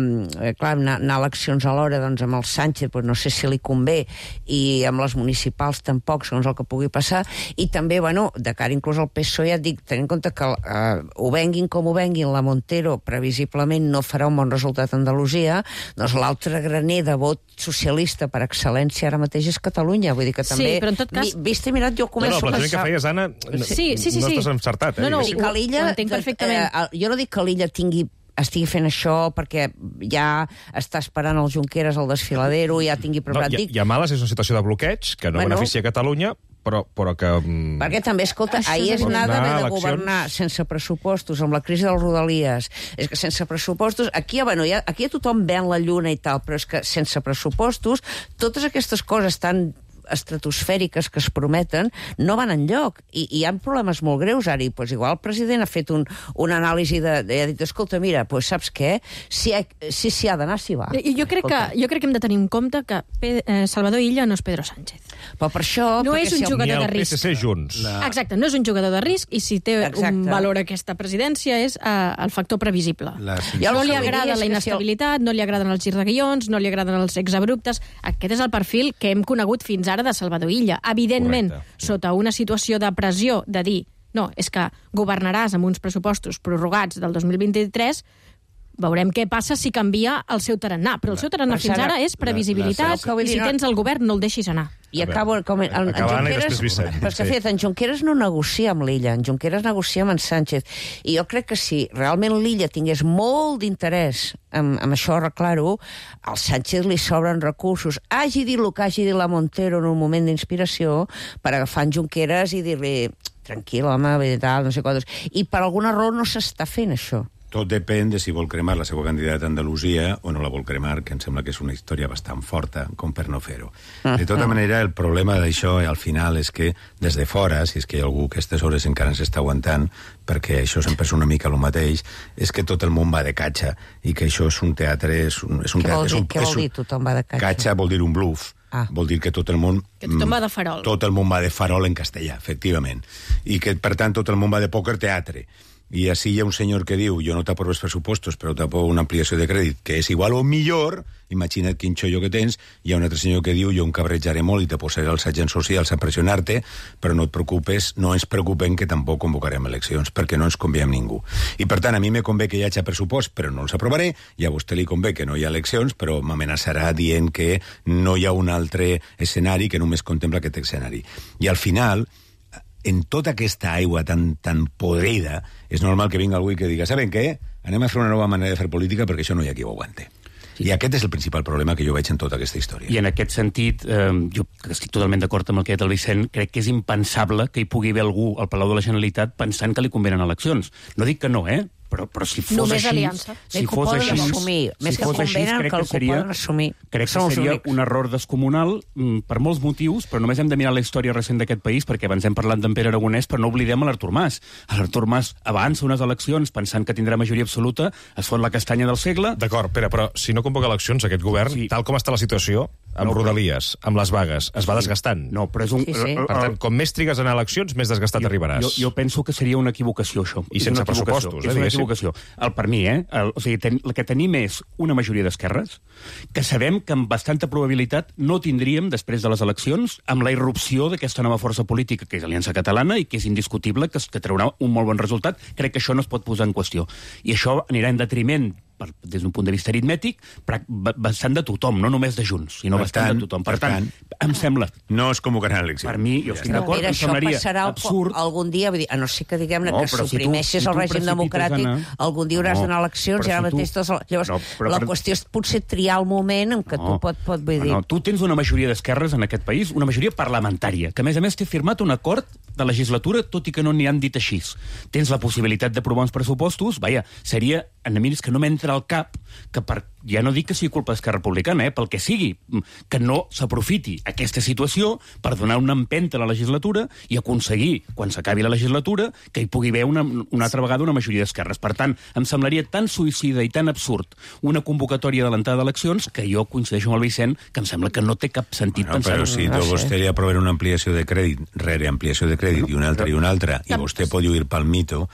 clar, anar, anar a eleccions alhora, doncs, amb el Sánchez, doncs no sé si li convé, i amb les municipals tampoc, segons el que pugui passar, i també també, bueno, de cara inclús al P S O E, ja et dic, tenint en compte que eh, ho venguin com ho venguin, la Montero previsiblement no farà un bon resultat a Andalusia, doncs l'altre graner de vot socialista per excel·lència ara mateix és Catalunya. Vull dir que també... Sí, però en tot cas... Mi, vist i mirat, jo començo... No, no, el plantejament que feies, Anna, sí, sí, sí, no sí. estàs encertat. Eh? No, no, sí. que l'Illa... Ho entenc perfectament. Eh, jo no dic que l'Illa tingui estigui fent això perquè ja està esperant el Junqueras al desfiladero, ja tingui preparat... No, i, i a Males és una situació de bloqueig que no bueno, beneficia Catalunya, però, però que... Mm, perquè també, escolta, ahir és anar d'haver de governar sense pressupostos, amb la crisi dels Rodalies. És que sense pressupostos... Aquí, bueno, ja, aquí ja tothom ven la lluna i tal, però és que sense pressupostos totes aquestes coses tan estratosfèriques que es prometen no van enlloc, i, i hi ha problemes molt greus ara, i pues, igual el president ha fet un, una anàlisi de, de, ha dit, escolta, mira, pues, saps què? Si s'hi si, si ha d'anar, s'hi va. Jo, jo, crec que, jo crec que hem de tenir en compte que eh, Salvador Illa no és Pedro Sánchez. Però per això... No és un si jugador de risc. Ni el P S C junts. La... Exacte, no és un jugador de risc, i si té Exacte. un valor aquesta presidència és uh, el factor previsible. La... No li agrada la inestabilitat, no li agraden els girs de guions, no li agraden els exabruptes. Aquest és el perfil que hem conegut fins ara de Salvador Illa. Evidentment, correcte, sota una situació de pressió de dir, no, és que governaràs amb uns pressupostos prorrogats del dos mil vint-i-tres, veurem què passa si canvia el seu tarannà. Però el seu tarannà fins ara és previsibilitat, i si tens el govern no el deixis anar. I acabo... Com, en, en Junqueras, però és que, fet, en Junqueras no negocia amb l'Illa, en Junqueras negocia amb en Sánchez. I jo crec que si realment l'Illa tingués molt d'interès en, en això arreglar-ho, al Sánchez li sobren recursos. Hagi dit el que hagi dit la Montero en un moment d'inspiració per agafar en Junqueras i dir-li tranquil, home, tal, no sé quantos. I per alguna raó no s'està fent això. Tot depèn de si vol cremar la seva candidata a Andalusia o no la vol cremar, que em sembla que és una història bastant forta com per no fer-ho. De tota manera, el problema d'això al final és que des de fora, si és que hi ha algú que a aquestes hores encara ens està aguantant, perquè això sempre és una mica el mateix, és que tot el món va de catxa i que això és un teatre... És un, és un què teatre, vol dir, és un, què vol dir tothom va de catxa? Catxa vol dir un bluff. Ah. Vol dir que tot el món... Que tothom va de farol. Tot el món va de farol en castellà, efectivament. I que, per tant, tot el món va de pòquer teatre. I així hi ha un senyor que diu, jo no t'aprovo els pressupostos, però t'aprovo una ampliació de crèdit, que és igual o millor, imagina't quin xollo que tens. Hi ha un altre senyor que diu, jo em cabrejaré molt i te posaré els agents socials a pressionar-te, però no et preocupes, no ens preocupem que tampoc convocarem eleccions, perquè no ens convé amb ningú. I per tant, a mi me convé que hi hagi pressupost, però no els aprovaré, i a vostè li convé que no hi ha eleccions, però m'amenaçarà dient que no hi ha un altre escenari que només contempla aquest escenari. I al final... en tota aquesta aigua tan, tan podrida, és normal que vinga algú i que diga, saben què? Anem a fer una nova manera de fer política perquè això no hi ha qui ho aguante. Sí. I aquest és el principal problema que jo veig en tota aquesta història. I en aquest sentit, eh, jo estic totalment d'acord amb el que ha dit el Vicent, crec que és impensable que hi pugui haver algú al Palau de la Generalitat pensant que li convenen eleccions. No dic que no, eh? Però, però si fos Només així... aliança. Si fos així, assumir. Més si que fos així, convenen, crec que que seria, assumir. crec que seria un error descomunal mm, per molts motius, però només hem de mirar la història recent d'aquest país, perquè abans hem parlat d'en Pere Aragonès, però no oblidem l'Artur Mas. L'Artur Mas avança unes eleccions pensant que tindrà majoria absoluta, es fot la castanya del segle... D'acord, Pere, però si no convoca eleccions aquest govern, sí. tal com està la situació, amb no, Rodalies, amb les vagues, es va sí. desgastant. No, però és un... Sí, sí. Per tant, com més trigues en eleccions, més desgastat jo, arribaràs. Jo, jo penso que seria una equivocació, això. I sense pressupostos, eh, és una equivocació. El, per mi, eh? El, o sigui, ten, el que tenim és una majoria d'esquerres, que sabem que amb bastanta probabilitat no tindríem, després de les eleccions, amb la irrupció d'aquesta nova força política, que és Aliança Catalana, i que és indiscutible que, que traurà un molt bon resultat. Crec que això no es pot posar en qüestió. I això anirà en detriment per, des d'un punt de vista aritmètic, bastant de tothom, no només de Junts, sinó Per bastant tant, de tothom. Per, per tant, tant, em sembla... No es convocaran eleccions. Per mi, jo estic No, d'acord, mira, em això semblaria passarà absurd. algun dia, vull dir, a no ser que diguem No, que però si tu- suprimeixis si tu el règim precipites democràtic, anar- algun dia hauràs No, d'anar a eleccions, però i ara si tu- mateix... Tots... Llavors, No, però la per- qüestió és potser triar el moment en què tu pot, pot vull dir... No, tu tens una majoria d'esquerres en aquest país, una majoria parlamentària, que a més a més té firmat un acord de legislatura, tot i que no n'hi han dit així. Tens la possibilitat d'aprovar uns pressupostos, vaja, seria, a mi és que no m'entra al cap que per, ja no dic que sigui culpa d'Esquerra Republicana, eh, pel que sigui, que no s'aprofiti aquesta situació per donar una empenta a la legislatura i aconseguir, quan s'acabi la legislatura, que hi pugui haver una, una altra vegada una majoria d'esquerres. Per tant, em semblaria tan suïcida i tan absurd una convocatòria adelantada d'eleccions que jo coincideixo amb el Vicent, que em sembla que no té cap sentit Bueno, pensar-ho. però si a vostè li aproven una ampliació de crèdit, rere ampliació de crèdit, i una altra i una altra, i vostè pot lluir pel mito,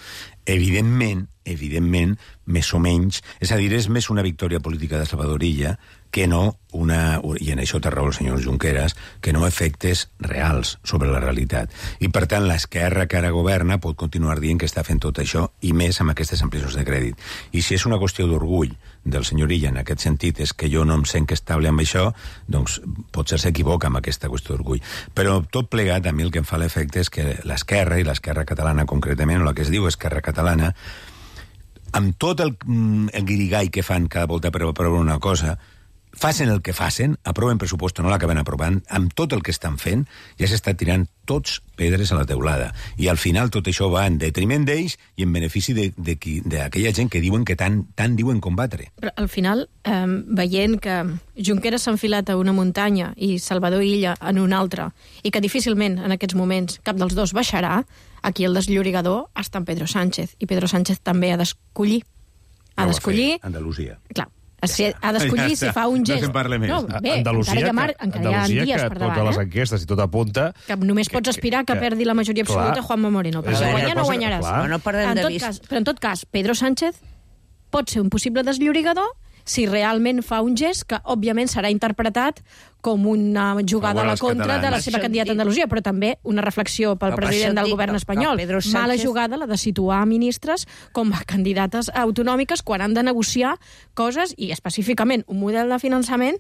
evidentment, evidentment, més o menys, és a dir, és més una victòria política de Salvador Illa que no una, i en això té raó el senyor Junqueras, que no efectes reals sobre la realitat. I, per tant, l'esquerra que ara governa pot continuar dient que està fent tot això, i més amb aquestes ampliacions de crèdit. I si és una qüestió d'orgull del senyor Illa en aquest sentit, és que jo no em sent estable amb això, doncs potser s'equivoca amb aquesta qüestió d'orgull. Però tot plegat, a mi el que em fa l'efecte és que l'esquerra, i l'esquerra catalana concretament, o la que es diu esquerra catalana, amb tot el, el guirigall que fan cada volta per aprovar una cosa, facin el que facin, aproven pressupost o no l'acaben aprovant, amb tot el que estan fent, ja s'està tirant tots pedres a la teulada. I al final tot això va en detriment d'ells i en benefici d'aquella gent que diuen que tant, tant diuen combatre. Però al final, eh, veient que Junqueras s'ha enfilat a una muntanya i Salvador Illa en una altra, i que difícilment en aquests moments cap dels dos baixarà, aquí el desllorigador està en Pedro Sánchez, i Pedro Sánchez també ha d'escollir. Ha d'escollir... Andalusia. Clar, si ha d'escollir Ja si fa un gest. No se'n parla més. No, bé, Andalusia, encara hi ha, mar... que, encara hi ha Andalusia, dies que per totes davant, les eh? enquestes i tot apunta... Que només pots aspirar que, que perdi la majoria absoluta clar, Juanma Moreno. Però és si una guanya no cosa- guanyaràs. clar. No perdem en de tot vista. cas, però en tot cas, Pedro Sánchez pot ser un possible desllorigador si realment fa un gest que, òbviament, serà interpretat com una jugada a la contra de la seva candidata a Andalusia, però també una reflexió pel Però per president això del dic govern que- espanyol. que Pedro Mala Sánchez- jugada la de situar ministres com a candidates autonòmiques quan han de negociar coses, i específicament un model de finançament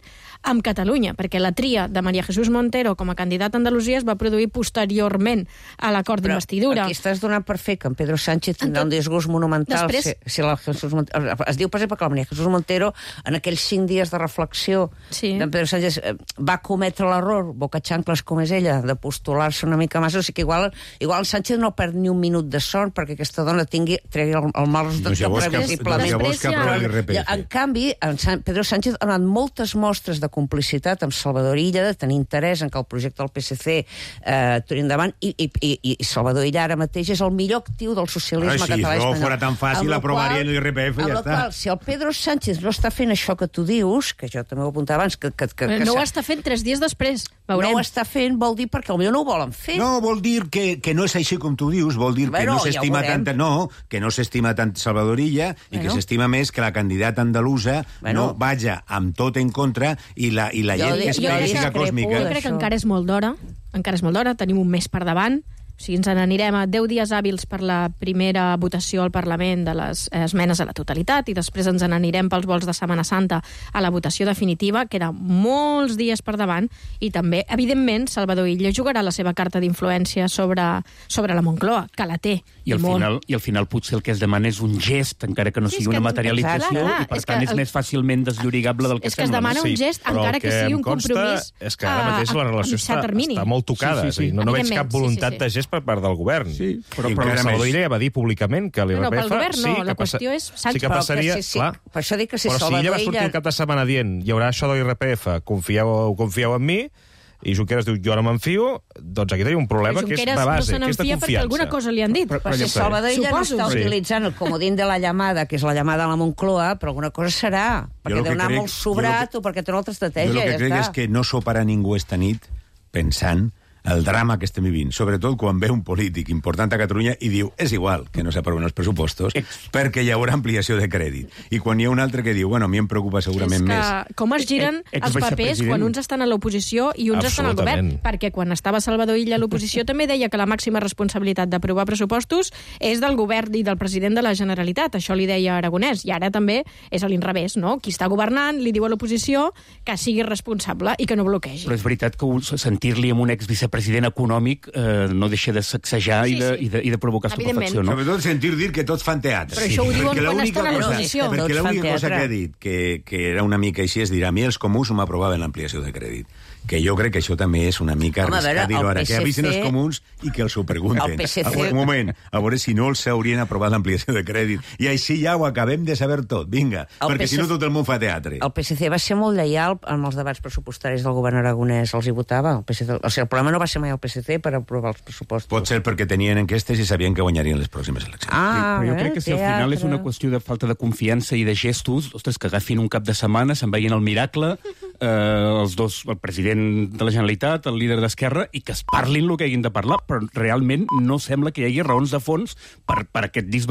amb Catalunya, perquè la tria de María Jesús Montero com a candidata a Andalusia es va produir posteriorment a l'acord Però d'investidura. aquí estàs donant per fer que en Pedro Sánchez tindrà un disgust monumental. Després- Si, si la Jesús Montero, es diu, per exemple, que la María Jesús Montero, en aquells cinc dies de reflexió Sí. d'en Pedro Sánchez, eh, va cometre l'error, boca xancles com és ella, de postular-se una mica massa. O sigui que igual, igual Sánchez no perd ni un minut de son perquè aquesta dona tingui, tregui el, el mal resultat Doncs llavors que que- previsiblement. doncs llavors que aprovi l'I R P F. En canvi, en San, Pedro Sánchez ha donat moltes mostres de complicitat amb Salvador Illa, de tenir interès en que el projecte del P S C eh, turi endavant, i, i, i, i Salvador Illa ara mateix és el millor actiu del socialisme Ara, si català i no espanyol. fora tan fàcil, Amb la aprovarien qual- l'I R P F i amb ja la està. Qual, si el Pedro Sánchez no està fent això que tu dius, que jo també ho apuntava abans, que, que, que, que No ho s'ha- està fent tres dies després. Veurem. no ho està fent, vol dir perquè potser no ho volen fer. No, vol dir que, que no és així com tu dius, vol dir que Bueno, no ja ho s'estima veurem. tant, no, que no s'estima tant Salvador Illa i Bueno. que s'estima més que la candidata andalusa Bueno. no vaja amb tot en contra i la, i la Jo gent di- que és jo física discrepo còsmica. Jo crec que encara és molt d'hora, encara és molt d'hora, tenim un mes per davant, o sigui, ens n'anirem a deu dies hàbils per la primera votació al Parlament de les esmenes a la totalitat i després ens n'anirem pels vols de Setmana Santa a la votació definitiva, queda molts dies per davant, i també, evidentment, Salvador Illa jugarà la seva carta d'influència sobre, sobre la Moncloa, que la té. I al, molt. final, I al final potser el que es demana és un gest, encara que no Sí, sigui és que- una materialització, clar, clar, i per és que tant és el- més fàcilment deslliurigable del que És que es sembla. demana no? un gest, però encara el que sigui em un consta compromís és que ara a- mateix la a relació mitjà està, termini. està molt tocada. Sí, sí, És a dir, sí. no, no veig cap Evidentment, sí, voluntat sí, sí. de gest per part del govern. Sí, però, I però encara Salvador més. Illa va dir públicament que l'I R P F... No, no, pel govern no, sí, la que passa- qüestió és Sánchez. Sí que Però que passaria, sí, sí, clar. per això dic que si però si Salvador ella va sortir Illa- el cap de setmana dient hi haurà això de l'I R P F, confieu, confieu en mi, i Junqueras diu jo no m'enfio, doncs aquí tenim un problema que és Junqueras de base, no se que és de n'enfia perquè confiança. alguna cosa li han dit. Però, però si Salvador Illa no Suposo. està Sí. utilitzant el comodín de la llamada, que és la llamada a la Moncloa, però alguna cosa serà, perquè el deu que anar crec- molt sobrat jo o perquè té una altra Jo estratègia, el que ja crec està. és que no soparà ningú esta nit pensant el drama que estem vivint, sobretot quan ve un polític important a Catalunya i diu és igual que no s'aproven els pressupostos perquè hi haurà ampliació de crèdit. I quan hi ha un altre que diu, bueno, a mi em preocupa segurament és que més... com es giren Eh, eh, els papers quan uns estan a l'oposició i uns estan al govern. Perquè quan estava Salvador Illa a l'oposició també deia que la màxima responsabilitat d'aprovar pressupostos és del govern i del president de la Generalitat. Això li deia Aragonès. I ara també és a l'inrevés, no? Qui està governant li diu a l'oposició que sigui responsable i que no bloquegi. Però és veritat que sentir-li amb un exvicepresident econòmic eh, no deixa de sacsejar sí, sí. I, de, i, de, i de provocar estupefacció, no? Sobretot sentir dir que tots fan teatre. Però això ho diuen perquè quan estan a l'oposició. Perquè l'única cosa que ha dit que, que era una mica així és dir, a mi els comuns no m'aprovaven l'ampliació de crèdit. Que jo crec que això també és una mica Home, arriscat dir-ho ara, P C C... que avisen els comuns i que els ho pregunten. P C C... Un moment, a veure si no els haurien aprovat l'ampliació de crèdit. I així ja ho acabem de saber tot, vinga, el perquè P C C... si no tot el món fa teatre. El P S C va ser molt lleial amb els debats pressupostaris del govern aragonès, els hi votava. El, P S C... o sigui, el problema no va ser mai el P S C per aprovar els pressupostos. Pot ser perquè tenien enquestes i sabien que guanyarien les pròximes eleccions. Ah, sí, però jo eh, crec que si al final és una qüestió de falta de confiança i de gestos, ostres, que agafin un cap de setmana, se'n vegin el miracle, eh, els dos, el president de la Generalitat, el líder d'Esquerra, i que es parlin el que hagin de parlar, però realment no sembla que hi hagi raons de fons per, per aquest disbarat